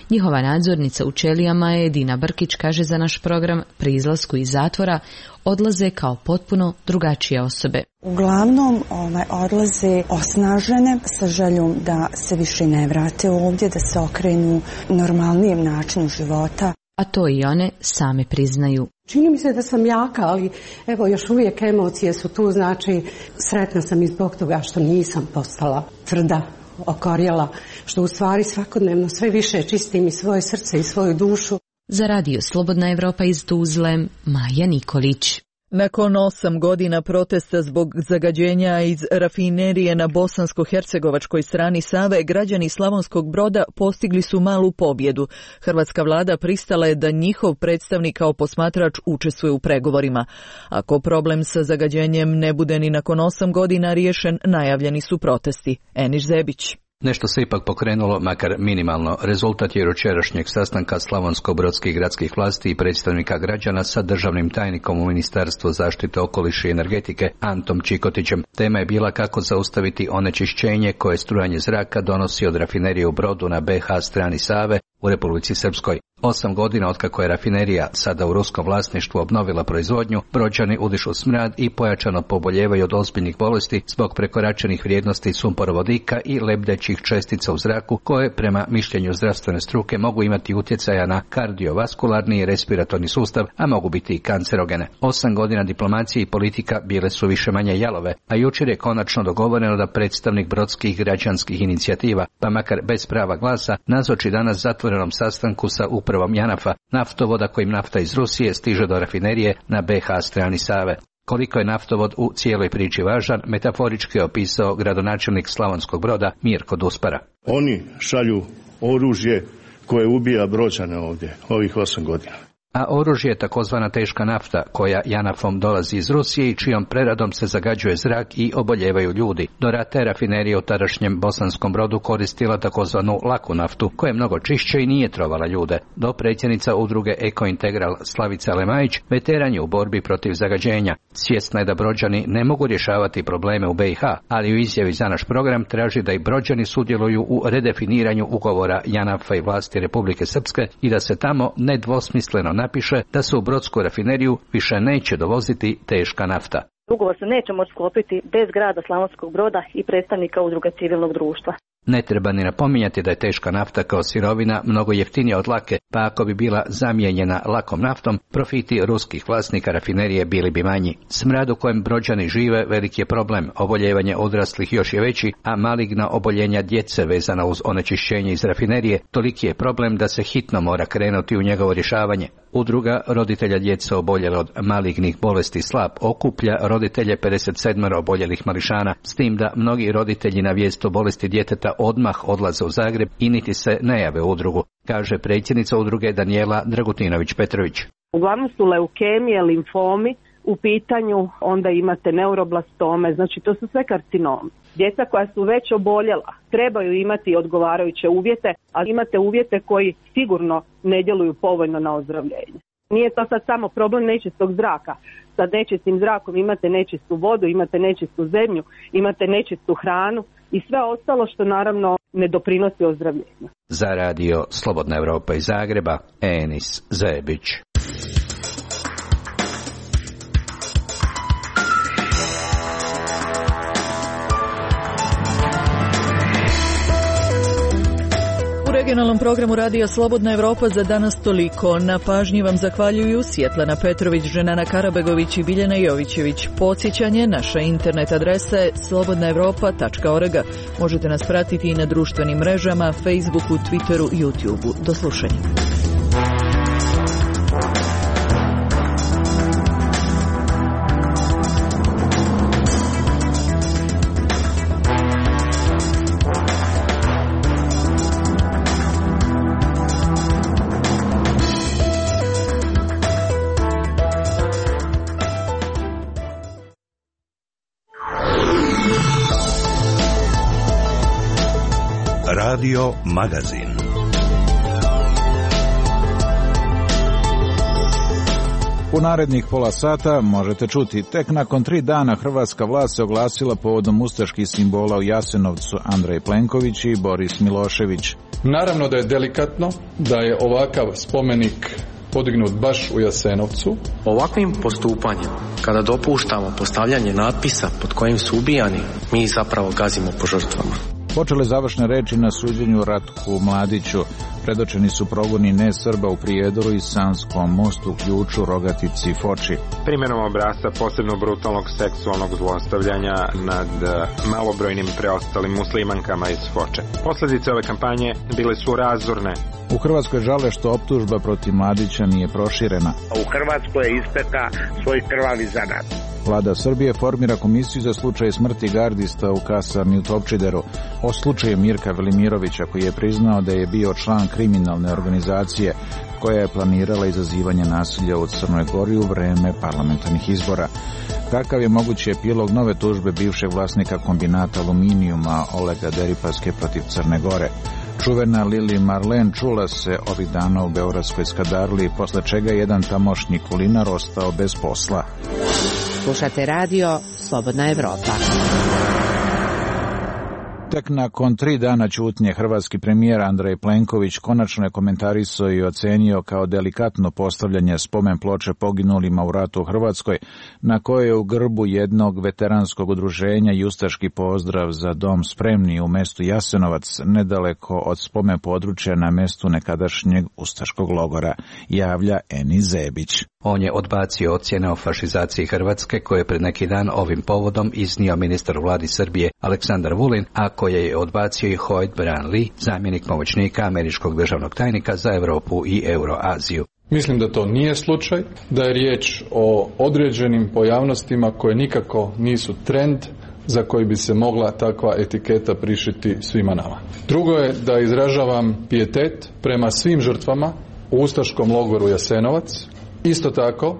[SPEAKER 26] Njihova nadzornica u Čelijama, Edina Brkić, kaže za naš program pri izlasku iz zatvora odlaze kao potpuno drugačije osobe.
[SPEAKER 9] Uglavnom ovaj, odlaze osnažene sa željom da se više ne vrate ovdje, da se okrenu normalnijem načinu života.
[SPEAKER 26] A to i one same priznaju.
[SPEAKER 5] Čini mi se da sam jaka, ali evo još uvijek emocije su tu, znači sretna sam i zbog toga što nisam postala tvrda, okorjela, što u stvari svakodnevno sve više čistim i svoje srce i svoju dušu.
[SPEAKER 26] Za radio Slobodna Evropa iz Tuzle, Maja Nikolić.
[SPEAKER 1] Nakon osam godina protesta zbog zagađenja iz rafinerije na bosansko-hercegovačkoj strani Save, građani Slavonskog Broda postigli su malu pobjedu. Hrvatska vlada pristala je da njihov predstavnik kao posmatrač učestvuje u pregovorima. Ako problem sa zagađenjem ne bude ni nakon osam godina riješen, najavljeni su protesti. Eniš Zebić.
[SPEAKER 23] Nešto se ipak pokrenulo, makar minimalno. Rezultat je jučerašnjeg sastanka slavonsko-brodskih gradskih vlasti i predstavnika građana sa državnim tajnikom u Ministarstvu zaštite okoliša i energetike Antom Čikotićem. Tema je bila kako zaustaviti onečišćenje koje strujanje zraka donosi od rafinerije u Brodu na be ha strani Save u Republici Srpskoj. Osam godina otkako je rafinerija, sada u ruskom vlasništvu, obnovila proizvodnju, Brođani udišu smrad i pojačano poboljevaju od ozbiljnih bolesti zbog prekoračenih vrijednosti sumporovodika i lebdećih čestica u zraku, koje prema mišljenju zdravstvene struke mogu imati utjecaja na kardiovaskularni i respiratorni sustav, a mogu biti i kancerogene. Osam godina diplomacije i politika bile su više manje jalove, a jučer je konačno dogovoreno da predstavnik brodskih građanskih inicijativa, pa makar bez prava glasa, nazoči danas zatvorenom sastanku sa upravom Janafa, naftovoda kojim nafta iz Rusije stiže do rafinerije na be ha strani Save. Koliko je naftovod u cijeloj priči važan, metaforički je opisao gradonačelnik Slavonskog Broda Mirko Duspara.
[SPEAKER 6] Oni šalju oružje koje ubija Brođane ovdje, ovih osam godina.
[SPEAKER 23] A oružje je takozvana teška nafta, koja Janafom dolazi iz Rusije i čijom preradom se zagađuje zrak i oboljevaju ljudi. Do rata je rafinerija u tadašnjem Bosanskom Brodu koristila takozvanu laku naftu, koja je mnogo čišće i nije trovala ljude. Do predsjednica udruge Eko Integral Slavica Lemajić veteran je u borbi protiv zagađenja. Svjesna je da Brođani ne mogu rješavati probleme u be ha, ali u izjavi za naš program traži da i Brođani sudjeluju u redefiniranju ugovora Janafa i vlasti Republike Srpske i da se tamo nedvosmisleno napiše da se u brodsku rafineriju više neće dovoziti teška nafta.
[SPEAKER 10] Ugovor se neće moći sklopiti bez grada Slavonskog Broda i predstavnika udruga civilnog društva.
[SPEAKER 23] Ne treba ni napominjati da je teška nafta kao sirovina mnogo jeftinija od lake, pa ako bi bila zamijenjena lakom naftom, profiti ruskih vlasnika rafinerije bili bi manji. Smrad u kojem Brođani žive veliki je problem, oboljevanje odraslih još je veći, a maligna oboljenja djece vezana uz onečišćenje iz rafinerije toliki je problem da se hitno mora krenuti u njegovo rješavanje. Udruga roditelja djece oboljele od malignih bolesti Slap okuplja roditelje pedeset sedam oboljelih mališana, s tim da mnogi roditelji na vijest o bolesti djeteta odmah odlaze u Zagreb i niti se ne jave u udrugu, kaže predsjednica udruge Danijela Dragutinović-Petrović.
[SPEAKER 11] Uglavnom su leukemije, limfomi u pitanju, onda imate neuroblastome, znači to su sve karcinomi. Djeca koja su već oboljela trebaju imati odgovarajuće uvjete, ali imate uvjete koji sigurno ne djeluju povoljno na ozdravljenje. Nije to sad samo problem nečistog zraka. Sa nečistim zrakom imate nečistu vodu, imate nečistu zemlju, imate nečistu hranu i sve ostalo što naravno ne doprinosi ozdravljenju.
[SPEAKER 23] Za radio Slobodna Evropa iz Zagreba, Enis Zebić.
[SPEAKER 1] regionalnom programu Radija Slobodna Evropa za danas toliko. Na pažnji vam zahvaljuju Svjetlana Petrović, Ženana Karabegović i Biljana Jovićević. Podsjećanje, naša internet adresa je slobodna evropa tačka org. Možete nas pratiti i na društvenim mrežama, Facebooku, Twitteru i YouTubeu. Do slušanja.
[SPEAKER 7] Radio Magazin.
[SPEAKER 3] U narednih pola sata možete čuti, tek nakon tri dana hrvatska vlast se oglasila povodom ustaških simbola u Jasenovcu, Andrej Plenković i Boris Milošević.
[SPEAKER 12] Naravno da je delikatno da je ovakav spomenik podignut baš u Jasenovcu.
[SPEAKER 13] Ovakvim postupanjem, kada dopuštamo postavljanje natpisa pod kojim su ubijani, mi zapravo gazimo po žrtvama.
[SPEAKER 3] Počele završne reči na suđenju Ratku Mladiću. Predočeni su progoni ne Srba u Prijedoru i Sanskom mostu, Ključu, Rogatici i Foči.
[SPEAKER 15] Primjenom obrasca posebno brutalnog seksualnog zlostavljanja nad malobrojnim preostalim muslimankama iz Foče. Posljedice ove kampanje bile su razorne.
[SPEAKER 3] U Hrvatskoj žale što optužba protiv Mladića nije proširena.
[SPEAKER 16] U Hrvatskoj je ispeka svoj krvavi zanat.
[SPEAKER 3] Vlada Srbije formira komisiju za slučaj smrti gardista u kasarni u Topčideru. O slučaju Mirka Velimirovića, koji je priznao da je bio član kriminalne organizacije koja je planirala izazivanje nasilja u Crnoj Gori u vreme parlamentarnih izbora. Kakav je mogući epilog nove tužbe bivšeg vlasnika kombinata aluminijuma Olega Deripaske protiv Crne Gore? Čuvena Lili Marlen čula se ovih dana u beogradskoj Skadarli, posle čega je jedan tamošnji kulinar ostao bez posla.
[SPEAKER 17] Slušate radio Slobodna Evropa.
[SPEAKER 3] Tek nakon tri dana ćutnje hrvatski premijer Andrej Plenković konačno je komentarisao i ocenio kao delikatno postavljanje spomen ploče poginulima u ratu u Hrvatskoj, na kojoj je u grbu jednog veteranskog udruženja i ustaški pozdrav za dom spremni u mestu Jasenovac, nedaleko od spomen područja na mestu nekadašnjeg ustaškog logora, javlja Eni Zebić.
[SPEAKER 23] On je odbacio ocjene o fašizaciji Hrvatske koje je pred neki dan ovim povodom iznio ministar u vladi Srbije Aleksandar Vulin, a koje je odbacio i Hoyt Branly, zamjenik pomoćnika američkog državnog tajnika za Europu i Euroaziju.
[SPEAKER 12] Mislim da to nije slučaj, da je riječ o određenim pojavnostima koje nikako nisu trend za koji bi se mogla takva etiketa prišiti svima nama. Drugo je da izražavam pijetet prema svim žrtvama u ustaškom logoru Jasenovac. Isto tako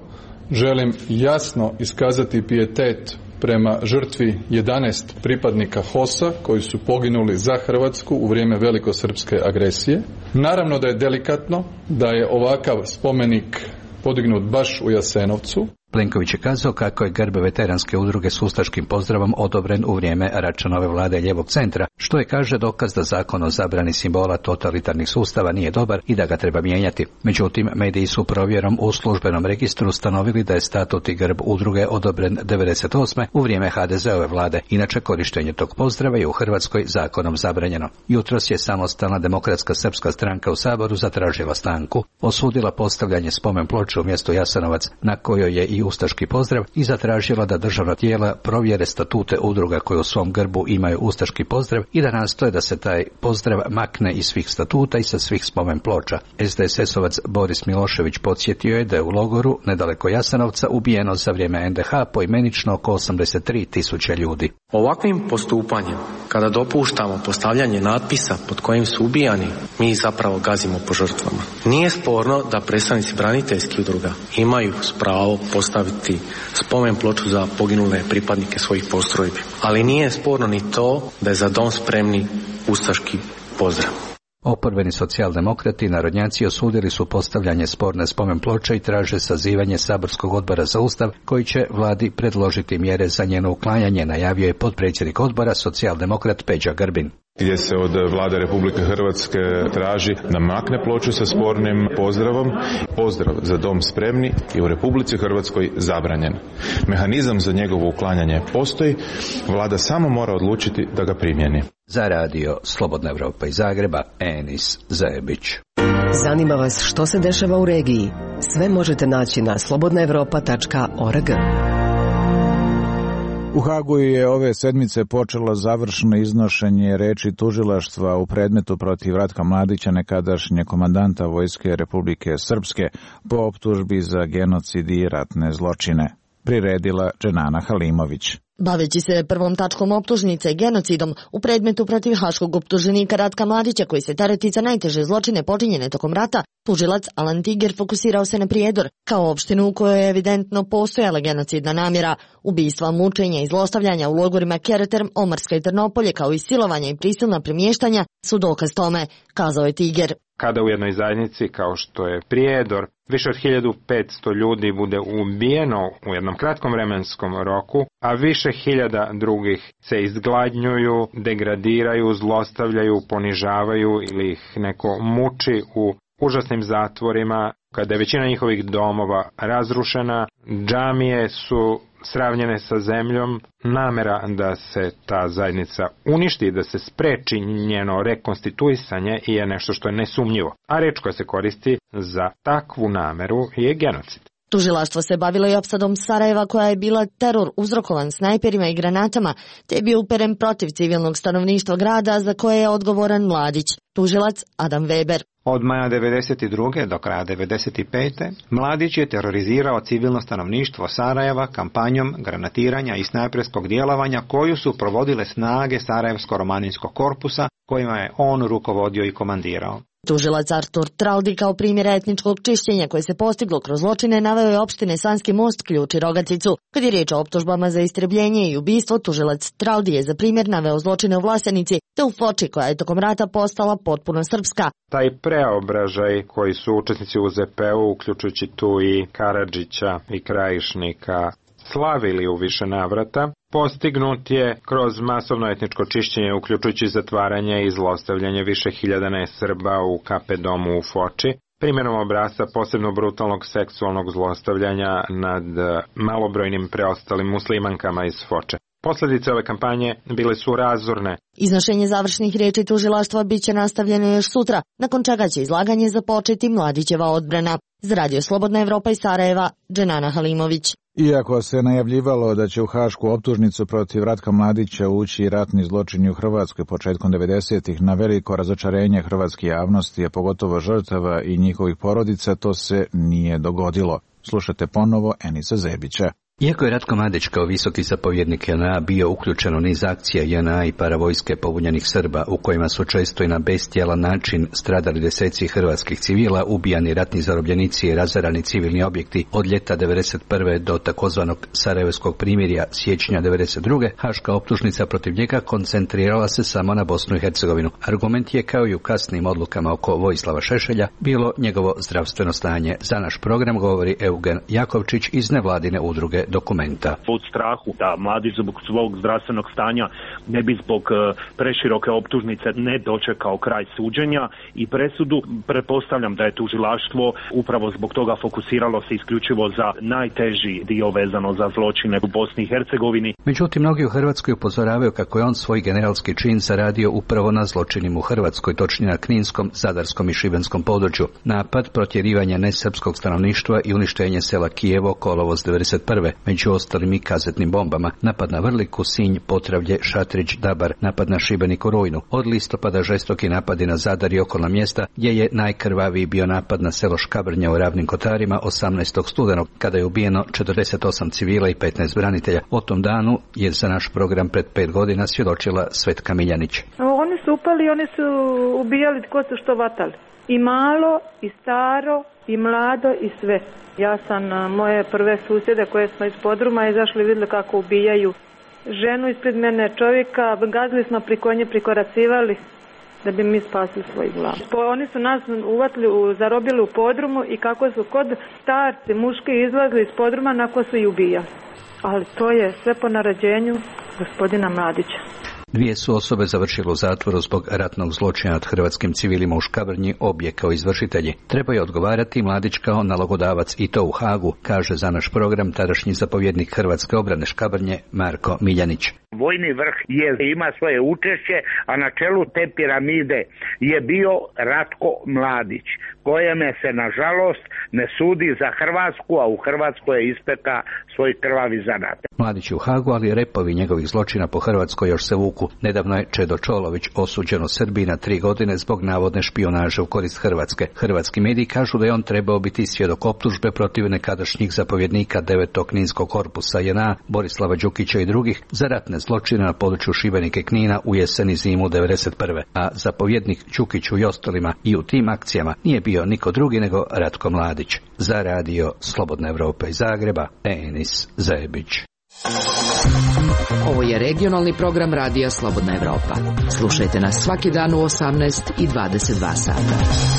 [SPEAKER 12] želim jasno iskazati pijetet prema žrtvi jedanaest pripadnika H O S-a koji su poginuli za Hrvatsku u vrijeme velikosrpske agresije. Naravno da je delikatno da je ovakav spomenik podignut baš u Jasenovcu.
[SPEAKER 23] Plenković je kazao kako je grb veteranske udruge s ustaškim pozdravom odobren u vrijeme Račanove vlade lijevog centra, što je, kaže, dokaz da zakon o zabrani simbola totalitarnih sustava nije dobar i da ga treba mijenjati. Međutim, mediji su provjerom u službenom registru ustanovili da je statut i grb udruge odobren devedeset osme u vrijeme ha de ze ove vlade. Inače, korištenje tog pozdrava je u Hrvatskoj zakonom zabranjeno. Jutros je Samostalna demokratska srpska stranka u Saboru zatražila stanku, osudila postavljanje spomen ploče u mjestu Jasenovac na kojoj je i ustaški pozdrav i zatražila da državna tijela provjere statute udruga koje u svom grbu imaju ustaški pozdrav i da nastoje da se taj pozdrav makne iz svih statuta i sa svih spomen ploča. es de es esovac Boris Milošević podsjetio je da je u logoru nedaleko Jasenovca ubijeno za vrijeme en de ha poimenično oko osamdeset tri tisuće ljudi.
[SPEAKER 13] Ovakvim postupanjem, kada dopuštamo postavljanje natpisa pod kojim su ubijani, mi zapravo gazimo po žrtvama. Nije sporno da predstavnici braniteljskih udruga imaju pravo postaviti spomen ploču za poginule pripadnike svojih postrojbi, ali nije sporno ni to da je za dom spremni ustaški pozdrav.
[SPEAKER 23] Oporbeni socijaldemokrati i narodnjaci osudili su postavljanje sporne spomen ploče i traže sazivanje saborskog odbora za ustav koji će vladi predložiti mjere za njeno uklanjanje, najavio je potpredsjednik odbora socijaldemokrat Peđa Grbin.
[SPEAKER 18] Gdje se od vlade Republike Hrvatske traži da makne ploču sa spornim pozdravom. Pozdrav za dom spremni je u Republici Hrvatskoj zabranjen. Mehanizam za njegovo uklanjanje postoji, vlada samo mora odlučiti da ga primjeni.
[SPEAKER 23] Za radio Slobodna Evropa iz Zagreba, Enis Zebić.
[SPEAKER 8] Zanima vas što se dešava u regiji? Sve možete naći na slobodna evropa tačka org.
[SPEAKER 3] U Hagu je ove sedmice počelo završno iznošenje reči tužilaštva u predmetu protiv Ratka Mladića, nekadašnje komandanta Vojske Republike Srpske, po optužbi za genocid i ratne zločine. Priredila Dženana Halimović.
[SPEAKER 4] Baveći se prvom tačkom optužnice genocidom u predmetu protiv haškog optuženika Ratka Mladića koji se tereti za najteže zločine počinjene tokom rata, tužilac Alan Tiger fokusirao se na Prijedor kao opštinu u kojoj je evidentno postojala genocidna namjera. Ubistva, mučenja i zlostavljanja u logorima Kereterm, Omarska i Trnopolje kao i silovanja i prisilna premještanja su dokaz tome, kazao je Tiger.
[SPEAKER 15] Kada u jednoj zajednici kao što je Prijedor više od hiljadu petsto ljudi bude ubijeno u jednom kratkom vremenskom roku, a više hiljada drugih se izgladnjuju, degradiraju, zlostavljaju, ponižavaju ili ih neko muči u užasnim zatvorima, kada je većina njihovih domova razrušena, džamije su sravnjene sa zemljom, namera da se ta zajednica uništi, da se spreči njeno rekonstituisanje je nešto što je nesumnjivo, a reč koja se koristi za takvu nameru je genocid.
[SPEAKER 4] Tužilaštvo se bavilo i opsadom Sarajeva koja je bila teror uzrokovan snajperima i granatama, te je bio uperen protiv civilnog stanovništva grada za koje je odgovoran Mladić. Tužilac Adam Weber.
[SPEAKER 14] Od maja devedeset druge do kraja devedeset pete Mladić je terorizirao civilno stanovništvo Sarajeva kampanjom granatiranja i snajperskog djelovanja koju su provodile snage Sarajevsko-romaninskog korpusa kojima je on rukovodio i komandirao.
[SPEAKER 4] Tužilac Artur Traldi kao primjer etničkog čišćenja koje se postiglo kroz zločine naveo je opštine Sanski Most, Ključ i Rogaticu. Kad je riječ o optužbama za istrebljenje i ubistvo, tužilac Traldi je za primjer naveo zločine u Vlasenici te u Foči koja je tokom rata postala potpuno srpska.
[SPEAKER 15] Taj preobražaj koji su učesnici u Z P U, uključujući tu i Karadžića i Krajišnika, slavili u više navrata, postignut je kroz masovno etničko čišćenje, uključujući zatvaranje i zlostavljanje više hiljada nesrba u K P domu u Foči, primjerom obrasca posebno brutalnog seksualnog zlostavljanja nad malobrojnim preostalim muslimankama iz Foče. Posljedice ove kampanje bile su razorne.
[SPEAKER 4] Iznošenje završnih riječi tužilaštva bit će nastavljeno još sutra, nakon čega će izlaganje započeti Mladićeva odbrana. Za radio Slobodna Evropa iz Sarajeva, Dženana Halimović.
[SPEAKER 3] Iako se najavljivalo da će u hašku optužnicu protiv Ratka Mladića ući ratni zločini u Hrvatskoj početkom devedesetih, na veliko razočarenje hrvatske javnosti, a pogotovo žrtava i njihovih porodica, to se nije dogodilo. Slušate ponovo Enisa Zebića.
[SPEAKER 23] Iako je Ratko Mladić kao visoki zapovjednik J N A bio uključen u niz akcija J N A i paravojske pobunjenih Srba, u kojima su često i na bestijalan način stradali deseci hrvatskih civila, ubijani ratni zarobljenici i razarani civilni objekti od ljeta devedeset prve do takozvanog Sarajevskog primirja siječnja devedeset druge, haška optužnica protiv njega koncentrirala se samo na Bosnu i Hercegovinu. Argument je, kao i u kasnim odlukama oko Vojislava Šešelja, bilo njegovo zdravstveno stanje. Za naš program govori Eugen Jakovčić iz nevladine udruge Dokumenta.
[SPEAKER 19] Od strahu da Mladić zbog svog zdravstvenog stanja ne bi zbog preširoke optužnice ne dočekao kraj suđenja i presudu, pretpostavljam da je tužilaštvo upravo zbog toga fokusiralo se isključivo za najteži dio vezano za zločine u Bosni i Hercegovini.
[SPEAKER 23] Međutim, mnogi u Hrvatskoj upozoravaju kako je on svoj generalski čin zaradio upravo na zločinima u Hrvatskoj, točnije na Kninskom, Zadarskom i Šibenskom području. Napad, protjerivanje nesrpskog stanovništva i uništenje sela Kijevo kolovoz devedeset prve. Među ostalim i kazetnim bombama, napad na Vrliku, Sinj, Potravlje, Šatrić, Dabar, napad na Šibeniku, Rujnu. Od listopada žestoki napadi na Zadar i okolna mjesta, gdje je najkrvaviji bio napad na selo Škabrnja u Ravnim Kotarima osamnaestog studenog, kada je ubijeno četrdeset osam civila i petnaest branitelja. O tom danu je za naš program pred pet godina svjedočila Svetka Miljanić.
[SPEAKER 20] Oni su upali, oni su ubijali tko su što vatali. I malo, i staro, i mlado, i sve. Ja sam moje prve susjede koje smo iz podruma izašli, vidjeli kako ubijaju ženu ispred mene, čovjeka, gazili smo pri konje, prikoracivali da bi mi spasili svoj glav. Oni su nas uvatili, zarobili u podrumu i kako su kod starci, muški izlazili iz podruma, nakon su i ubijali. Ali to je sve po naređenju gospodina Mladića.
[SPEAKER 23] Dvije su osobe završile u zatvoru zbog ratnog zločina nad hrvatskim civilima u Škabrnji, obje kao izvršitelji. Trebaju odgovarati Mladić kao nalogodavac i to u Hagu, kaže za naš program tadašnji zapovjednik Hrvatske obrane Škabrnje Marko Miljanić.
[SPEAKER 16] Vojni vrh je, ima svoje učešće, a na čelu te piramide je bio Ratko Mladić, kojeme se nažalost ne sudi za Hrvatsku, a u Hrvatskoj je ispekao svoj krvavi zanat.
[SPEAKER 23] Mladić je u Hagu, ali repovi njegovih zločina po Hrvatskoj još se vuku. Nedavno je Čedo Čolović osuđen u Srbiji na tri godine zbog navodne špijunaže u korist Hrvatske. Hrvatski mediji kažu da je on trebao biti svjedok optužbe protiv nekadašnjih zapovjednika devetog Kninskog korpusa J N A, Borislava Đukića i drugih za ratne zločine na području Šibenika i Knina u jesen i zimu devedeset prve. A zapovjednik Đukiću i ostalima i u tim akcijama nije bio niko drugi nego Ratko Mladić. Za radio Slobodna Evropa iz Zagreba, Enis Zajebić.
[SPEAKER 17] Ovo je regionalni program radija Slobodna Evropa. Slušajte nas svaki dan u osamnaest i dvadeset dva sata.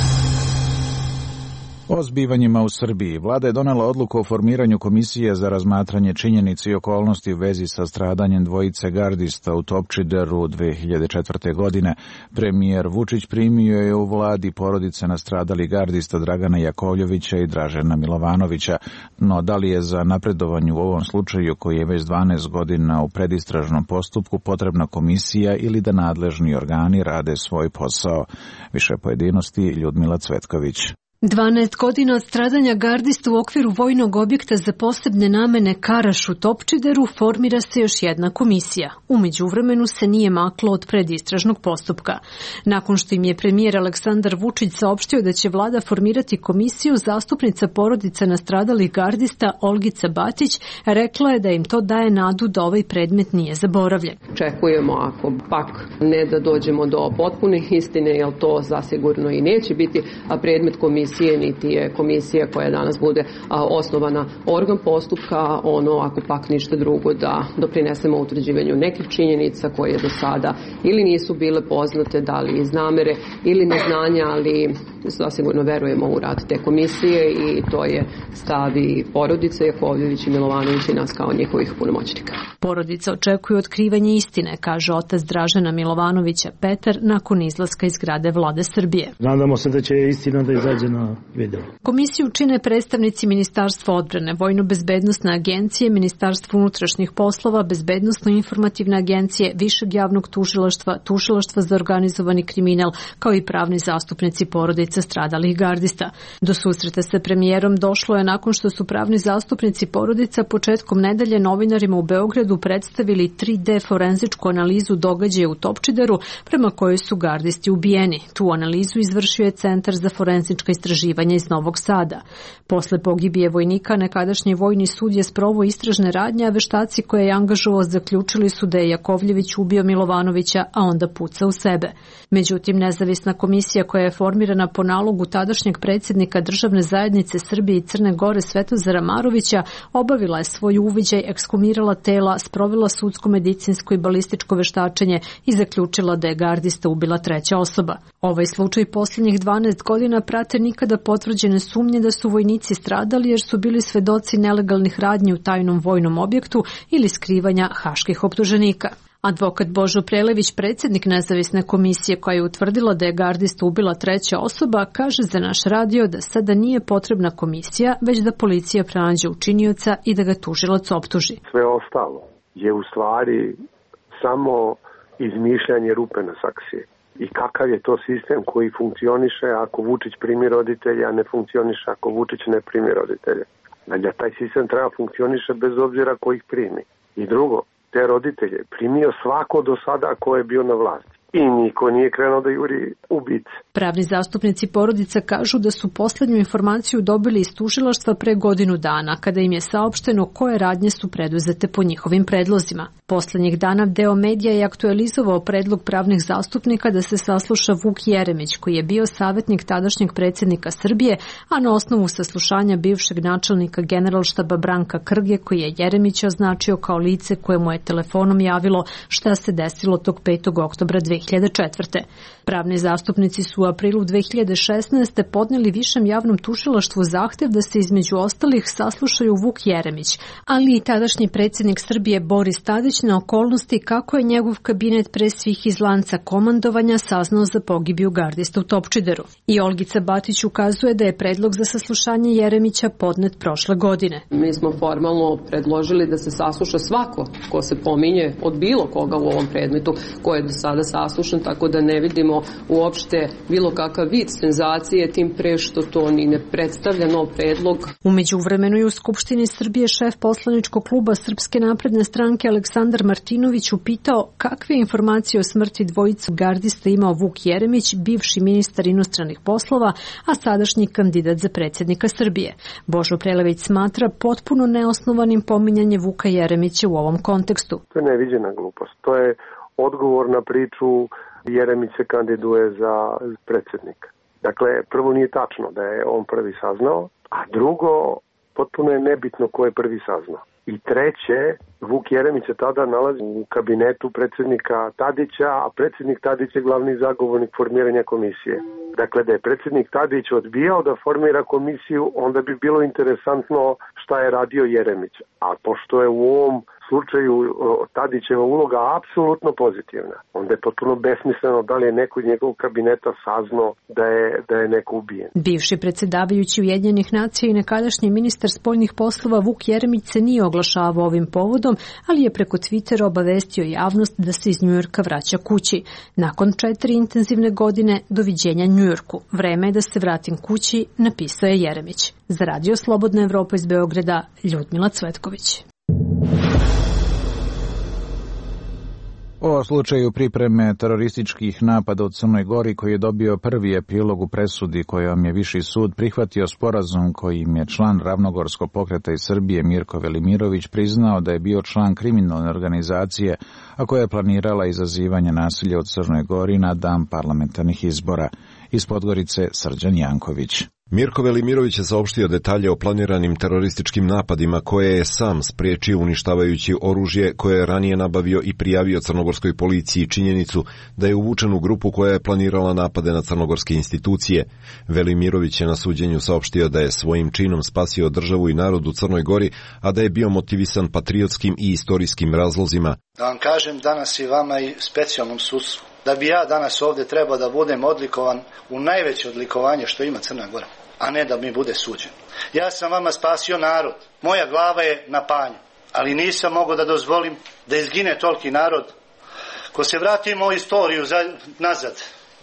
[SPEAKER 3] O zbivanjima u Srbiji. Vlada je donela odluku o formiranju komisije za razmatranje činjenica i okolnosti u vezi sa stradanjem dvojice gardista u Topčideru dve hiljade četvrte. godine. Premijer Vučić primio je u vladi porodice nastradalih gardista Dragana Jakovljevića i Dražena Milovanovića, no da li je za napredovanje u ovom slučaju, koji je već dvanaest godina u predistražnom postupku, potrebna komisija ili da nadležni organi rade svoj posao? Više pojedinosti Ljudmila Cvetković.
[SPEAKER 2] dvanaest godina od stradanja gardista u okviru vojnog objekta za posebne namene Karaš u Topčideru formira se još jedna komisija. U međuvremenu se nije maklo od predistražnog postupka. Nakon što im je premijer Aleksandar Vučić saopštio da će vlada formirati komisiju, zastupnica porodica nastradalih gardista Olgica Batić rekla je da im to daje nadu da ovaj predmet nije zaboravljen.
[SPEAKER 9] Čekujemo, ako pak ne da dođemo do potpune istine, jer to zasigurno i neće biti predmet komisije, niti je komisija koja danas bude a, osnovana organ postupka, ono ako pak ništa drugo da doprinesemo utvrđivanju nekih činjenica koje do sada ili nisu bile poznate, da li iz namere ili neznanja, ali zasigurno verujemo u rad te komisije i to je stav i porodice Jakovljević i Milovanović i nas kao njihovih punomoćnika.
[SPEAKER 2] Porodica očekuje otkrivanje istine, kaže otac Dražena Milovanovića Petar nakon izlaska iz zgrade Vlade Srbije.
[SPEAKER 21] Nadamo se da će istina da izađe na video.
[SPEAKER 2] Komisiju čine predstavnici Ministarstva odbrane, Vojno-bezbednosne agencije, Ministarstva unutrašnjih poslova, Bezbednosno-informativne agencije, Višeg javnog tužilaštva, Tužilaštva za organizovani kriminal, kao i pravni zastupnici porodica stradalih gardista. Do susreta sa premijerom došlo je nakon što su pravni zastupnici porodica početkom nedelje novinarima u Beogradu predstavili tri D forenzičku analizu događaja u Topčideru prema kojoj su gardisti ubijeni. Tu analizu izvršio je Centar za forenzička istraživanja iz Novog Sada. Posle pogibije vojnika, nekadašnji vojni sud je sproveo istražne radnje, a veštaci koje je angažovao zaključili su da je Jakovljević ubio Milovanovića, a onda pucao u sebe. Međutim, nezavisna komisija koja je formirana po nalogu tadašnjeg predsjednika Državne zajednice Srbije i Crne Gore Svetozara Marovića obavila je svoj uviđaj, ekshumirala tela, sprovela sudsko, medicinsko i balističko veštačenje i zaključila da je gardista ubila treća osoba. Ovaj slučaj posljednjih dvanaest godina prate nikada potvrđene sumnje da su vojnici stradali jer su bili svedoci nelegalnih radnji u tajnom vojnom objektu ili skrivanja haških optuženika. Advokat Božo Prelević, predsjednik nezavisne komisije koja je utvrdila da je gardista ubila treća osoba, kaže za naš radio da sada nije potrebna komisija, već da policija pronađe učinioca i da ga tužilac optuži.
[SPEAKER 22] Sve ostalo je u stvari samo izmišljanje rupe na saksiji. I kakav je to sistem koji funkcioniše ako Vučić primi roditelja, a ne funkcioniše ako Vučić ne primi roditelja. Znači, taj sistem treba funkcioniše bez obzira ko ih primi. I drugo, te roditelje primio svako do sada ko je bio na vlasti. I niko nije krenuo da juri ubice.
[SPEAKER 2] Pravni zastupnici porodica kažu da su posljednju informaciju dobili iz tužilaštva pre godinu dana, kada im je saopšteno koje radnje su preduzete po njihovim predlozima. Poslednjih dana deo medija je aktualizovao predlog pravnih zastupnika da se sasluša Vuk Jeremić, koji je bio savjetnik tadašnjeg predsjednika Srbije, a na osnovu saslušanja bivšeg načelnika generalštaba Branka Krge, koji je Jeremić označio kao lice koje mu je telefonom javilo šta se desilo tog petog oktobra dve dve hiljade četvrte. Pravni zastupnici su u aprilu dve hiljade šesnaeste. podneli Višem javnom tužilaštvu zahtev da se između ostalih saslušaju Vuk Jeremić, ali i tadašnji predsjednik Srbije Boris Tadić na okolnosti kako je njegov kabinet pre svih iz lanca komandovanja saznao za pogibiju gardista u Topčideru. I Olgica Batić ukazuje da je predlog za saslušanje Jeremića podnet prošle godine.
[SPEAKER 9] Mi smo formalno predložili da se sasluša svako ko se pominje od bilo koga u ovom predmetu, ko je do sada saslušan, tako da ne vidimo uopšte bilo kakav vid senzacije, tim pre što to ni ne predstavlja nov predlog.
[SPEAKER 2] U međuvremenu je u Skupštini Srbije šef poslaničkog kluba Srpske napredne stranke Aleksandar Martinović upitao kakve informacije o smrti dvojicu gardista imao Vuk Jeremić, bivši ministar inostranih poslova, a sadašnji kandidat za predsjednika Srbije. Božo Prelević smatra potpuno neosnovanim pominjanje Vuka Jeremića u ovom kontekstu.
[SPEAKER 22] To je neviđena glupost. To je odgovor na priču Jeremić se kandiduje za predsjednika. Dakle, prvo nije tačno da je on prvi saznao, a drugo, potpuno je nebitno ko je prvi saznao. I treće, Vuk Jeremić se tada nalazi u kabinetu predsjednika Tadića, a predsjednik Tadić je glavni zagovornik formiranja komisije. Dakle, da je predsjednik Tadić odbijao da formira komisiju, onda bi bilo interesantno šta je radio Jeremić. A pošto je u ovom slučaju Tadićeva uloga apsolutno pozitivna, onda je potpuno besmisleno da li je neko iz njegovog kabineta saznao da je, da je neko ubijen.
[SPEAKER 2] Bivši predsjedavajući Ujedinjenih nacija i nekadašnji ministar spoljnih poslova Vuk Jeremić se nije oglašavao ovim povodom, ali je preko Twittera obavestio javnost da se iz Njujorka vraća kući. Nakon četiri intenzivne godine, doviđenja Njujorku. Vreme je da se vratim kući, napisao je Jeremić. Za Radio Slobodna Evropa iz Beograda, Ljudmila Cvetković.
[SPEAKER 3] O slučaju pripreme terorističkih napada u Crnoj Gori, koji je dobio prvi epilog u presudi kojom je Viši sud prihvatio sporazum kojim je član Ravnogorskog pokreta iz Srbije Mirko Velimirović priznao da je bio član kriminalne organizacije, a koja je planirala izazivanje nasilja u Crnoj Gori na dan parlamentarnih izbora. Iz Podgorice Srđan Janković.
[SPEAKER 5] Mirko Velimirović je saopštio detalje o planiranim terorističkim napadima koje je sam spriječio uništavajući oružje koje je ranije nabavio i prijavio crnogorskoj policiji činjenicu da je uvučen u grupu koja je planirala napade na crnogorske institucije. Velimirović je na suđenju saopštio da je svojim činom spasio državu i narod u Crnoj Gori, a da je bio motivisan patriotskim i istorijskim razlozima.
[SPEAKER 6] Da vam kažem danas i vama i specijalnom sudstvu, da bi ja danas ovdje trebao da budem odlikovan u najveće odlikovanje što ima Crna Gora, a ne da mi bude suđen. Ja sam vama spasio narod, moja glava je na panju, ali nisam mogao da dozvolim da izgine toliki narod. Ko se vratimo u istoriju za, nazad,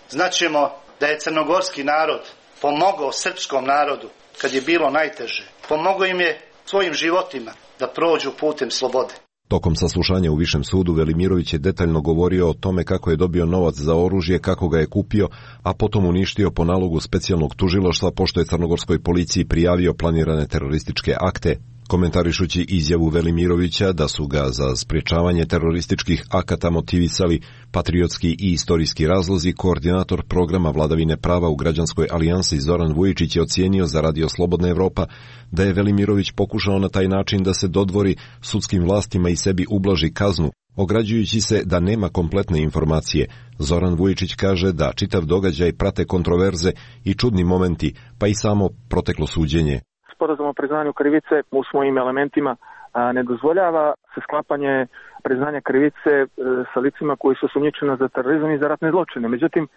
[SPEAKER 6] znaćemo da je crnogorski narod pomogao srpskom narodu kad je bilo najteže. Pomogao im je svojim životima da prođu putem slobode.
[SPEAKER 5] Tokom saslušanja u Višem sudu Velimirović je detaljno govorio o tome kako je dobio novac za oružje, kako ga je kupio, a potom uništio po nalogu specijalnog tužilaštva pošto je crnogorskoj policiji prijavio planirane terorističke akte. Komentarišući izjavu Velimirovića da su ga za sprječavanje terorističkih akata motivisali patriotski i istorijski razlozi, koordinator programa vladavine prava u Građanskoj alijansi Zoran Vujičić je ocijenio za Radio Slobodna Evropa da je Velimirović pokušao na taj način da se dodvori sudskim vlastima i sebi ublaži kaznu, ograđujući se da nema kompletne informacije. Zoran Vujičić kaže da čitav događaj prate kontroverze i čudni momenti, pa i samo proteklo suđenje.
[SPEAKER 10] Sporazum o priznanju krivice u svojim elementima a, ne dozvoljava se sklapanje priznanja krivice e, sa licima koji su osumnjičena za terorizam i za ratne zločine. Međutim,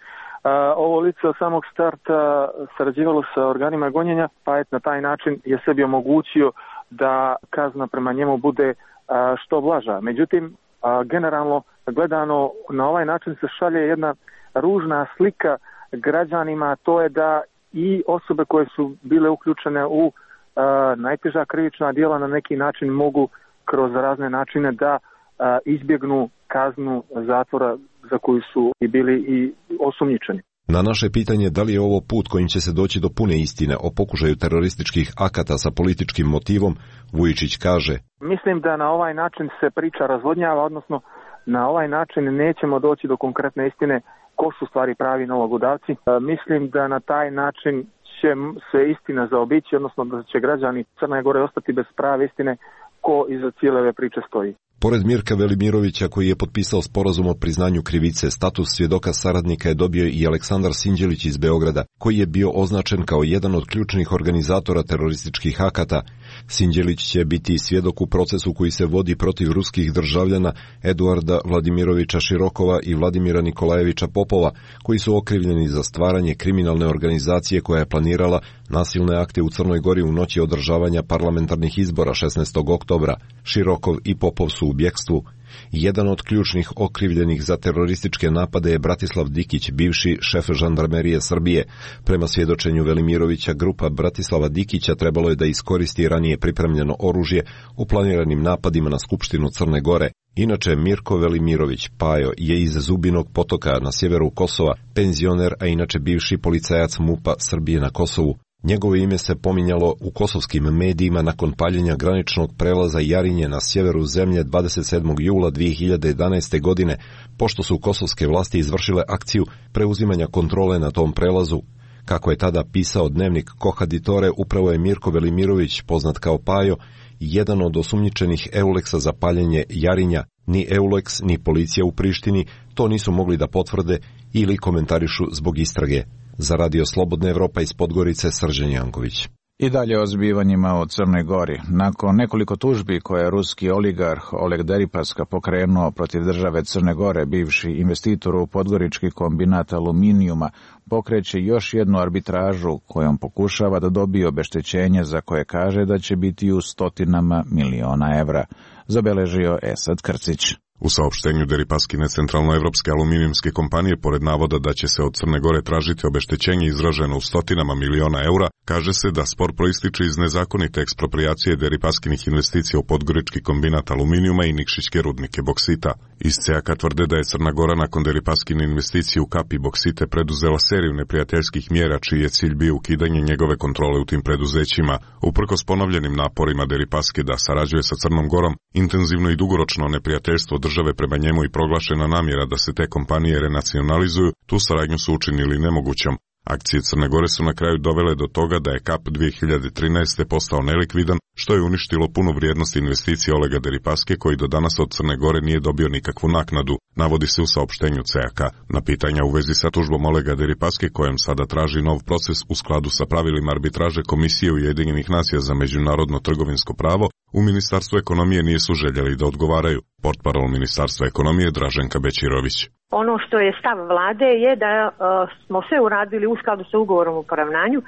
[SPEAKER 10] a, ovo lice od samog starta sarađivalo sa organima gonjenja, pa je na taj način je sebi omogućio da kazna prema njemu bude a, što blaža. Međutim, a, generalno gledano na ovaj način se šalje jedna ružna slika građanima, to je da i osobe koje su bile uključene u Uh, najteža krivična djela na neki način mogu kroz razne načine da uh, izbjegnu kaznu zatvora za koju su i bili i osumnjičeni.
[SPEAKER 5] Na naše pitanje da li je ovo put kojim će se doći do pune istine o pokušaju terorističkih akata sa političkim motivom, Vujičić kaže:
[SPEAKER 10] Mislim da na ovaj način se priča razvodnjava, odnosno na ovaj način nećemo doći do konkretne istine ko su stvari pravi nalogodavci. Uh, mislim da na taj način će se istina zaobići, odnosno da će građani Crne Gore ostati bez prave istine ko iza cijele ove priče stoji.
[SPEAKER 5] Pored Mirka Velimirovića, koji je potpisao sporazum o priznanju krivice, status svjedoka saradnika je dobio i Aleksandar Sinđelić iz Beograda, koji je bio označen kao jedan od ključnih organizatora terorističkih akata. Sinđelić će biti svjedok u procesu koji se vodi protiv ruskih državljana Eduarda Vladimirovića Širokova i Vladimira Nikolajevića Popova, koji su okrivljeni za stvaranje kriminalne organizacije koja je planirala nasilne akte u Crnoj Gori u noći održavanja parlamentarnih izbora šesnaestog oktobra. Širokov i Popov su u bjekstvu. Jedan od ključnih okrivljenih za terorističke napade je Bratislav Dikić, bivši šef žandarmerije Srbije. Prema svjedočenju Velimirovića, grupa Bratislava Dikića trebalo je da iskoristi ranije pripremljeno oružje u planiranim napadima na Skupštinu Crne Gore. Inače, Mirko Velimirović, Pajo, je iz Zubinog Potoka na sjeveru Kosova, penzioner, a inače bivši policajac MUP-a Srbije na Kosovu. Njegovo ime se pominjalo u kosovskim medijima nakon paljenja graničnog prelaza Jarinje na sjeveru zemlje dvadeset sedmog jula dvije hiljade jedanaeste. godine, pošto su kosovske vlasti izvršile akciju preuzimanja kontrole na tom prelazu. Kako je tada pisao dnevnik Kohaditore, upravo je Mirko Velimirović, poznat kao Pajo, jedan od osumnjičenih Euleksa za paljenje Jarinja. Ni Euleks, ni policija u Prištini to nisu mogli da potvrde ili komentarišu zbog istrage. Za Radio Slobodna Evropa iz Podgorice, Srđan Janković.
[SPEAKER 3] I dalje o zbivanjima u Crnoj Gori. Nakon nekoliko tužbi koje je ruski oligarh Oleg Deripaska pokrenuo protiv države Crne Gore, bivši investitor u podgorički kombinat aluminijuma pokreće još jednu arbitražu kojom pokušava da dobije obeštećenje za koje kaže da će biti u stotinama miliona evra, zabeležio Esad Krcić.
[SPEAKER 1] U saopštenju Deripaskine centralnoevropske aluminijumske kompanije, pored navoda da će se od Crne Gore tražiti obeštećenje izraženo u stotinama miliona eura, kaže se da spor proističe iz nezakonite eksproprijacije Deripaskinih investicija u podgorički kombinat aluminijuma i Nikšićke rudnike boksita. Iz C A K tvrde da je Crna Gora nakon Deripaskine investicije u Kapi boksite preduzela seriju neprijateljskih mjera čiji je cilj bio ukidanje njegove kontrole u tim preduzećima. Uprkos ponovljenim naporima Deripaske da sarađuje sa Crnom Gorom, intenzivno i dugoročno neprijateljstvo države prema njemu i proglašena namjera da se te kompanije renacionalizuju, tu saradnju su učinili nemogućom. Akcije Crne Gore su na kraju dovele do toga da je Kap dvije hiljade trinaeste. postao nelikvidan, što je uništilo punu vrijednost investicije Olega Deripaske, koji do danas od Crne Gore nije dobio nikakvu naknadu, navodi se u saopštenju C A K. Na pitanja u vezi sa tužbom Olega Deripaske, kojem sada traži nov proces u skladu sa pravilima arbitraže Komisije Ujedinjenih nacija za međunarodno trgovinsko pravo, u Ministarstvu ekonomije nisu željeli da odgovaraju. Portparol Ministarstva ekonomije Draženka Bećirović.
[SPEAKER 7] Ono što je stav vlade je da uh, smo sve uradili u skladu sa ugovorom o poravnanju, uh,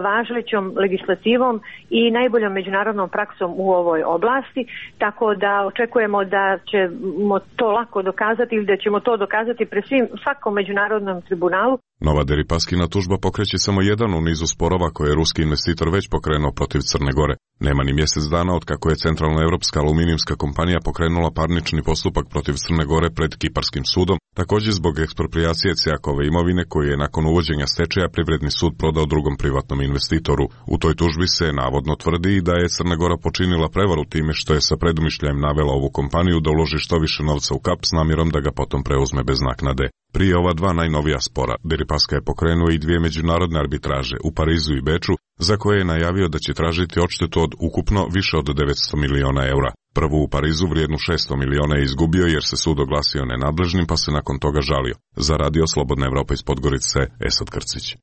[SPEAKER 7] važećom legislativom i najboljom međunarodnom praksom u ovoj oblasti, tako da očekujemo da ćemo to lako dokazati ili da ćemo to dokazati pre svim, svakom međunarodnom tribunalu.
[SPEAKER 1] Nova Deripaskina tužba pokreće samo jedan u nizu sporova koje je ruski investitor već pokrenuo protiv Crne Gore. Nema ni mjesec dana od kako je centralnoevropska aluminijumska kompanija pokrenula parnični postupak protiv Crne Gore pred Kiparskim sudom, također zbog eksproprijacije C A K-ove imovine koju je nakon uvođenja stečaja Privredni sud prodao drugom privatnom investitoru. U toj tužbi se navodno tvrdi da je Crna Gora počinila prevaru time što je sa predumišljajem navela ovu kompaniju da uloži što više novca u Kap s namjerom da ga potom preuzme bez naknade. Prije ova dva najnovija spora, Deripaska je pokrenuo i dvije međunarodne arbitraže u Parizu i Beču, za koje je najavio da će tražiti odštetu od ukupno više od devetsto miliona eura. Prvu u Parizu vrijednu šesto miliona je izgubio jer se sud oglasio nenadležnim pa se nakon toga žalio. Za Radio Slobodna Evropa iz Podgorice, Esad Krcić.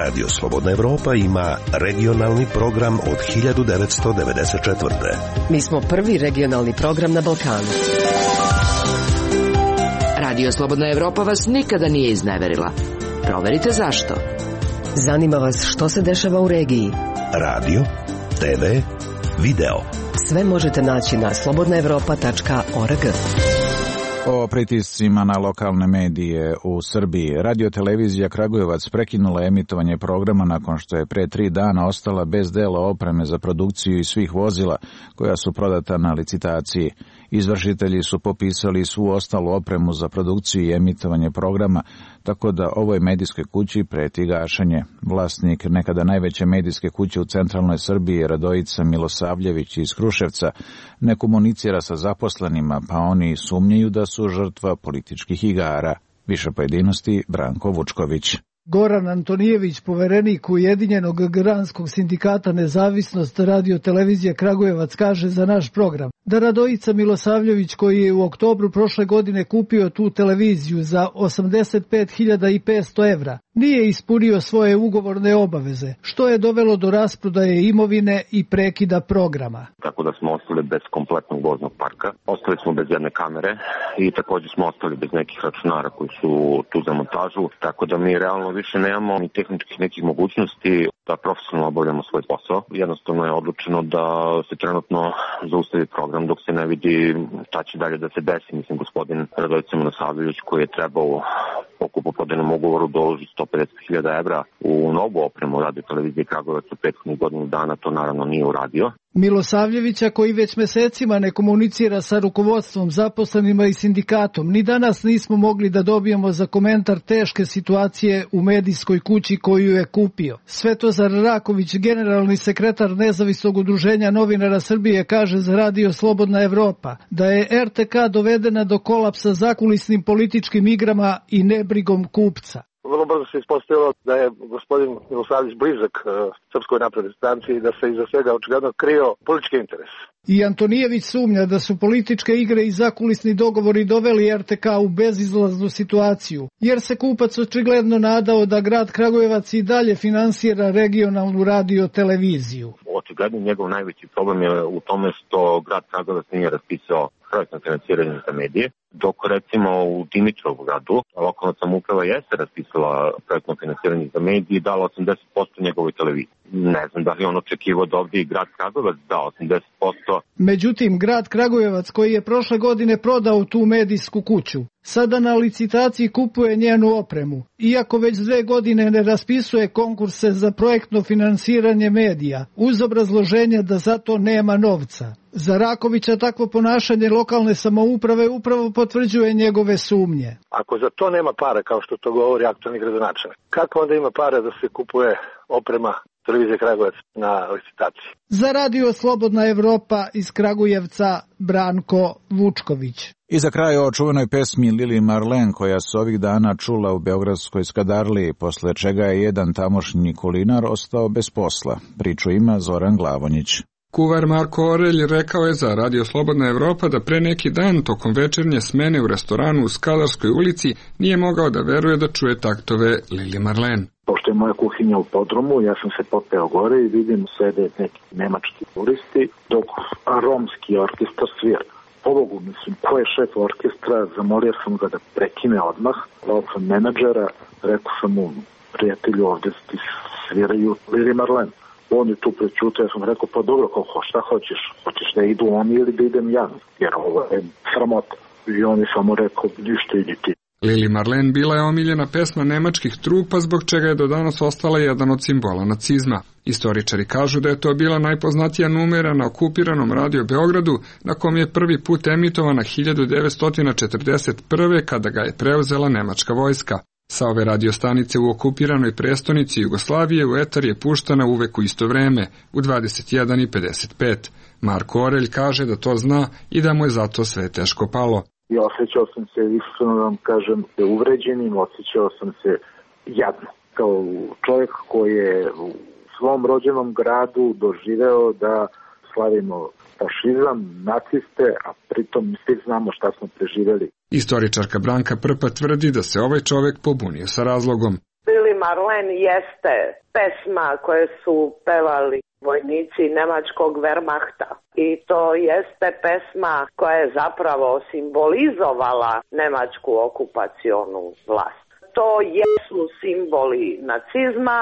[SPEAKER 11] Radio Slobodna Evropa ima regionalni program od hiljadu devetsto devedeset četvrte.
[SPEAKER 8] Mi smo prvi regionalni program na Balkanu.
[SPEAKER 17] Radio Slobodna Evropa vas nikada nije izneverila. Proverite zašto.
[SPEAKER 8] Zanima vas što se dešava u regiji.
[SPEAKER 11] Radio, te ve, video.
[SPEAKER 8] Sve možete naći na slobodna evropa tačka org.
[SPEAKER 3] O pritiscima na lokalne medije u Srbiji. Radio-televizija Kragujevac prekinula emitovanje programa nakon što je pre tri dana ostala bez dela opreme za produkciju i svih vozila koja su prodata na licitaciji. Izvršitelji su popisali svu ostalu opremu za produkciju i emitovanje programa, tako da ovoj medijskoj kući preti gašenje. Vlasnik nekada najveće medijske kuće u centralnoj Srbiji, Radojica Milosavljević iz Kruševca, ne komunicira sa zaposlenima, pa oni sumnjaju da su žrtva političkih igara. Više pojedinosti Branko Vučković.
[SPEAKER 12] Goran Antonijević, poverenik Ujedinjenog granskog sindikata Nezavisnost radio televizije Kragujevac, kaže za naš program da Radojica Milosavljević, koji je u oktobru prošle godine kupio tu televiziju za osamdeset pet hiljada petsto evra, nije ispunio svoje ugovorne obaveze, što je dovelo do rasprodaje imovine i prekida programa.
[SPEAKER 13] Tako da smo ostali bez kompletnog voznog parka, ostali smo bez jedne kamere i također smo ostali bez nekih računara koji su tu za montažu, tako da mi realno više nemamo ni tehničkih nekih mogućnosti da profesionalno obavljamo svoj posao. Jednostavno je odlučeno da se trenutno zaustavi program dok se ne vidi šta će dalje da se desi. Mislim, gospodin Radojica Milosavljević, koji je trebao po kupoprodajnom ugovoru da uloži sto pedeset hiljada evra u novu opremu radio televizije Kragujevac u prethodnih godinu dana, to naravno nije uradio.
[SPEAKER 12] Milosavljevića, koji već mesecima ne komunicira sa rukovodstvom, zaposlenima i sindikatom, ni danas nismo mogli da dobijemo za komentar teške situacije u medijskoj kući koju je kupio. Svetozar Raković, generalni sekretar Nezavisnog udruženja novinara Srbije, kaže za radio Slobodna Evropa da je er te ka dovedena do kolapsa zakulisnim političkim igrama i nebrigom kupca.
[SPEAKER 18] Vrlo brzo se ispostavilo da je gospodin Milosavljević blizak uh, Srpskoj naprednoj stranci i da se iza svega očigledno krio politički interes.
[SPEAKER 12] I Antonijević sumnja da su političke igre i zakulisni dogovori doveli er te ka u bezizlaznu situaciju, jer se kupac očigledno nadao da grad Kragujevac i dalje finansira regionalnu radio televiziju.
[SPEAKER 13] Očigledno njegov najveći problem je u tome što grad Kragujevac nije raspisao projektno finansiranje za medije, dok recimo u Dimitrovu gradu lokalna samouprava jeste raspisala projektno finansiranje za medije i dala osamdeset posto njegovoj televiziji. Ne znam da li on očekivao da ovdje i grad Kragujevac da osamdeset posto.
[SPEAKER 12] Međutim, grad Kragujevac, koji je prošle godine prodao tu medijsku kuću, sada na licitaciji kupuje njenu opremu, iako već dve godine ne raspisuje konkurse za projektno finansiranje medija, uz obrazloženje da za to nema novca. Za Rakovića takvo ponašanje lokalne samouprave upravo potvrđuje njegove sumnje.
[SPEAKER 18] Ako za to nema para, kao što to govori aktualni gradonačelnik, kako onda ima para da se kupuje oprema televizije Kragujevac na licitaciji?
[SPEAKER 12] Za radio Slobodna Evropa iz Kragujevca, Branko Vučković.
[SPEAKER 3] I za kraj o čuvenoj pesmi Lili Marlen, koja se ovih dana čula u beogradskoj Skadarliji, posle čega je jedan tamošnji kulinar ostao bez posla. Priču ima Zoran Glavonjić.
[SPEAKER 24] Kuvar Marko Orelj rekao je za Radio Slobodna Evropa da pre neki dan tokom večernje smene u restoranu u Skadarskoj ulici nije mogao da veruje da čuje taktove Lili Marlen.
[SPEAKER 25] Pošto je moja kuhinja u podrumu, ja sam se popeo gore i vidim sede neki nemački turisti, dok romski orkestar svira. Pobogu, mislim, ko je šef orkestra, zamolio sam ga da prekine odmah, zvao sam menadžera, rekao sam mu, prijatelju, ovde ti sviraju Lili Marlen. On je tu prećutao, ja sam rekao, pa dobro, kako, šta hoćeš? Hoćeš da idu oni ili da idem ja? Jer ovo je sramota. I on je samo rekao, ništa, idi ti.
[SPEAKER 24] Lili Marlen bila je omiljena pesma nemačkih trupa, zbog čega je do danas ostala jedan od simbola nacizma. Istoričari kažu da je to bila najpoznatija numera na okupiranom Radio Beogradu, na kom je prvi put emitovana hiljadu devetsto četrdeset prve. kada ga je preuzela nemačka vojska. Sa ove radiostanice u okupiranoj prestonici Jugoslavije u etar je puštana uvek u isto vreme, u dvadeset jedan i pedeset pet. Marko Orelj kaže da to zna i da mu je zato sve teško palo.
[SPEAKER 25] I osjećao sam se, iskreno vam kažem, uvređenim, osjećao sam se jadno. Kao čovjek koji je u svom rođenom gradu doživeo da slavimo fašizam, naciste, a pritom svi znamo šta smo preživjeli.
[SPEAKER 24] Istoričarka Branka Prpa tvrdi da se ovaj čovjek pobunio sa razlogom.
[SPEAKER 26] Lili Marlen jeste pesma koje su pevali vojnici nemačkog Wehrmachta i to jeste pesma koja je zapravo simbolizovala nemačku okupacionu vlast. To jesu simboli nacizma,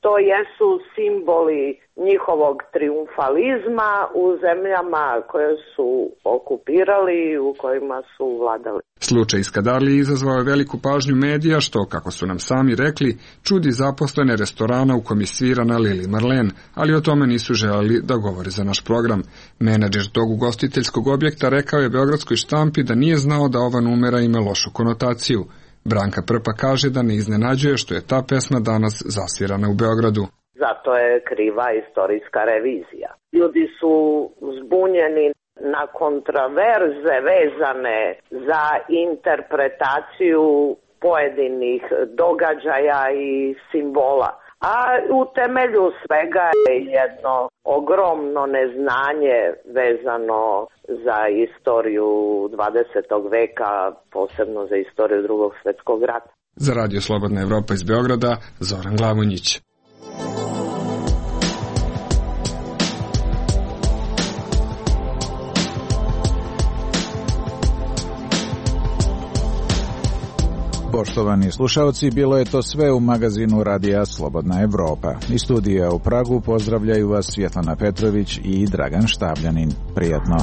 [SPEAKER 26] to jesu simboli njihovog triumfalizma u zemljama koje su okupirali i u kojima su vladali.
[SPEAKER 24] Slučaj Skadarlije izazvao je veliku pažnju medija, što, kako su nam sami rekli, čudi zaposlene restorana u kom je svirana Lili Marlen, ali o tome nisu želeli da govore za naš program. Menadžer tog ugostiteljskog objekta rekao je beogradskoj štampi da nije znao da ova numera ima lošu konotaciju. Branka Prpa kaže da ne iznenađuje što je ta pesma danas zasvirana u Beogradu.
[SPEAKER 26] Zato je kriva istorijska revizija. Ljudi su zbunjeni na kontraverze vezane za interpretaciju pojedinih događaja i simbola. A u temelju svega je jedno ogromno neznanje vezano za istoriju dvadesetog veka, posebno za istoriju Drugog svjetskog rata.
[SPEAKER 24] Za Radio Slobodna Evropa iz Beograda, Zoran Glavonjić.
[SPEAKER 3] Poštovani slušalci, bilo je to sve u magazinu Radija Slobodna Evropa. Iz studija u Pragu pozdravljaju vas Svjetlana Petrović i Dragan Štabljanin. Prijatno.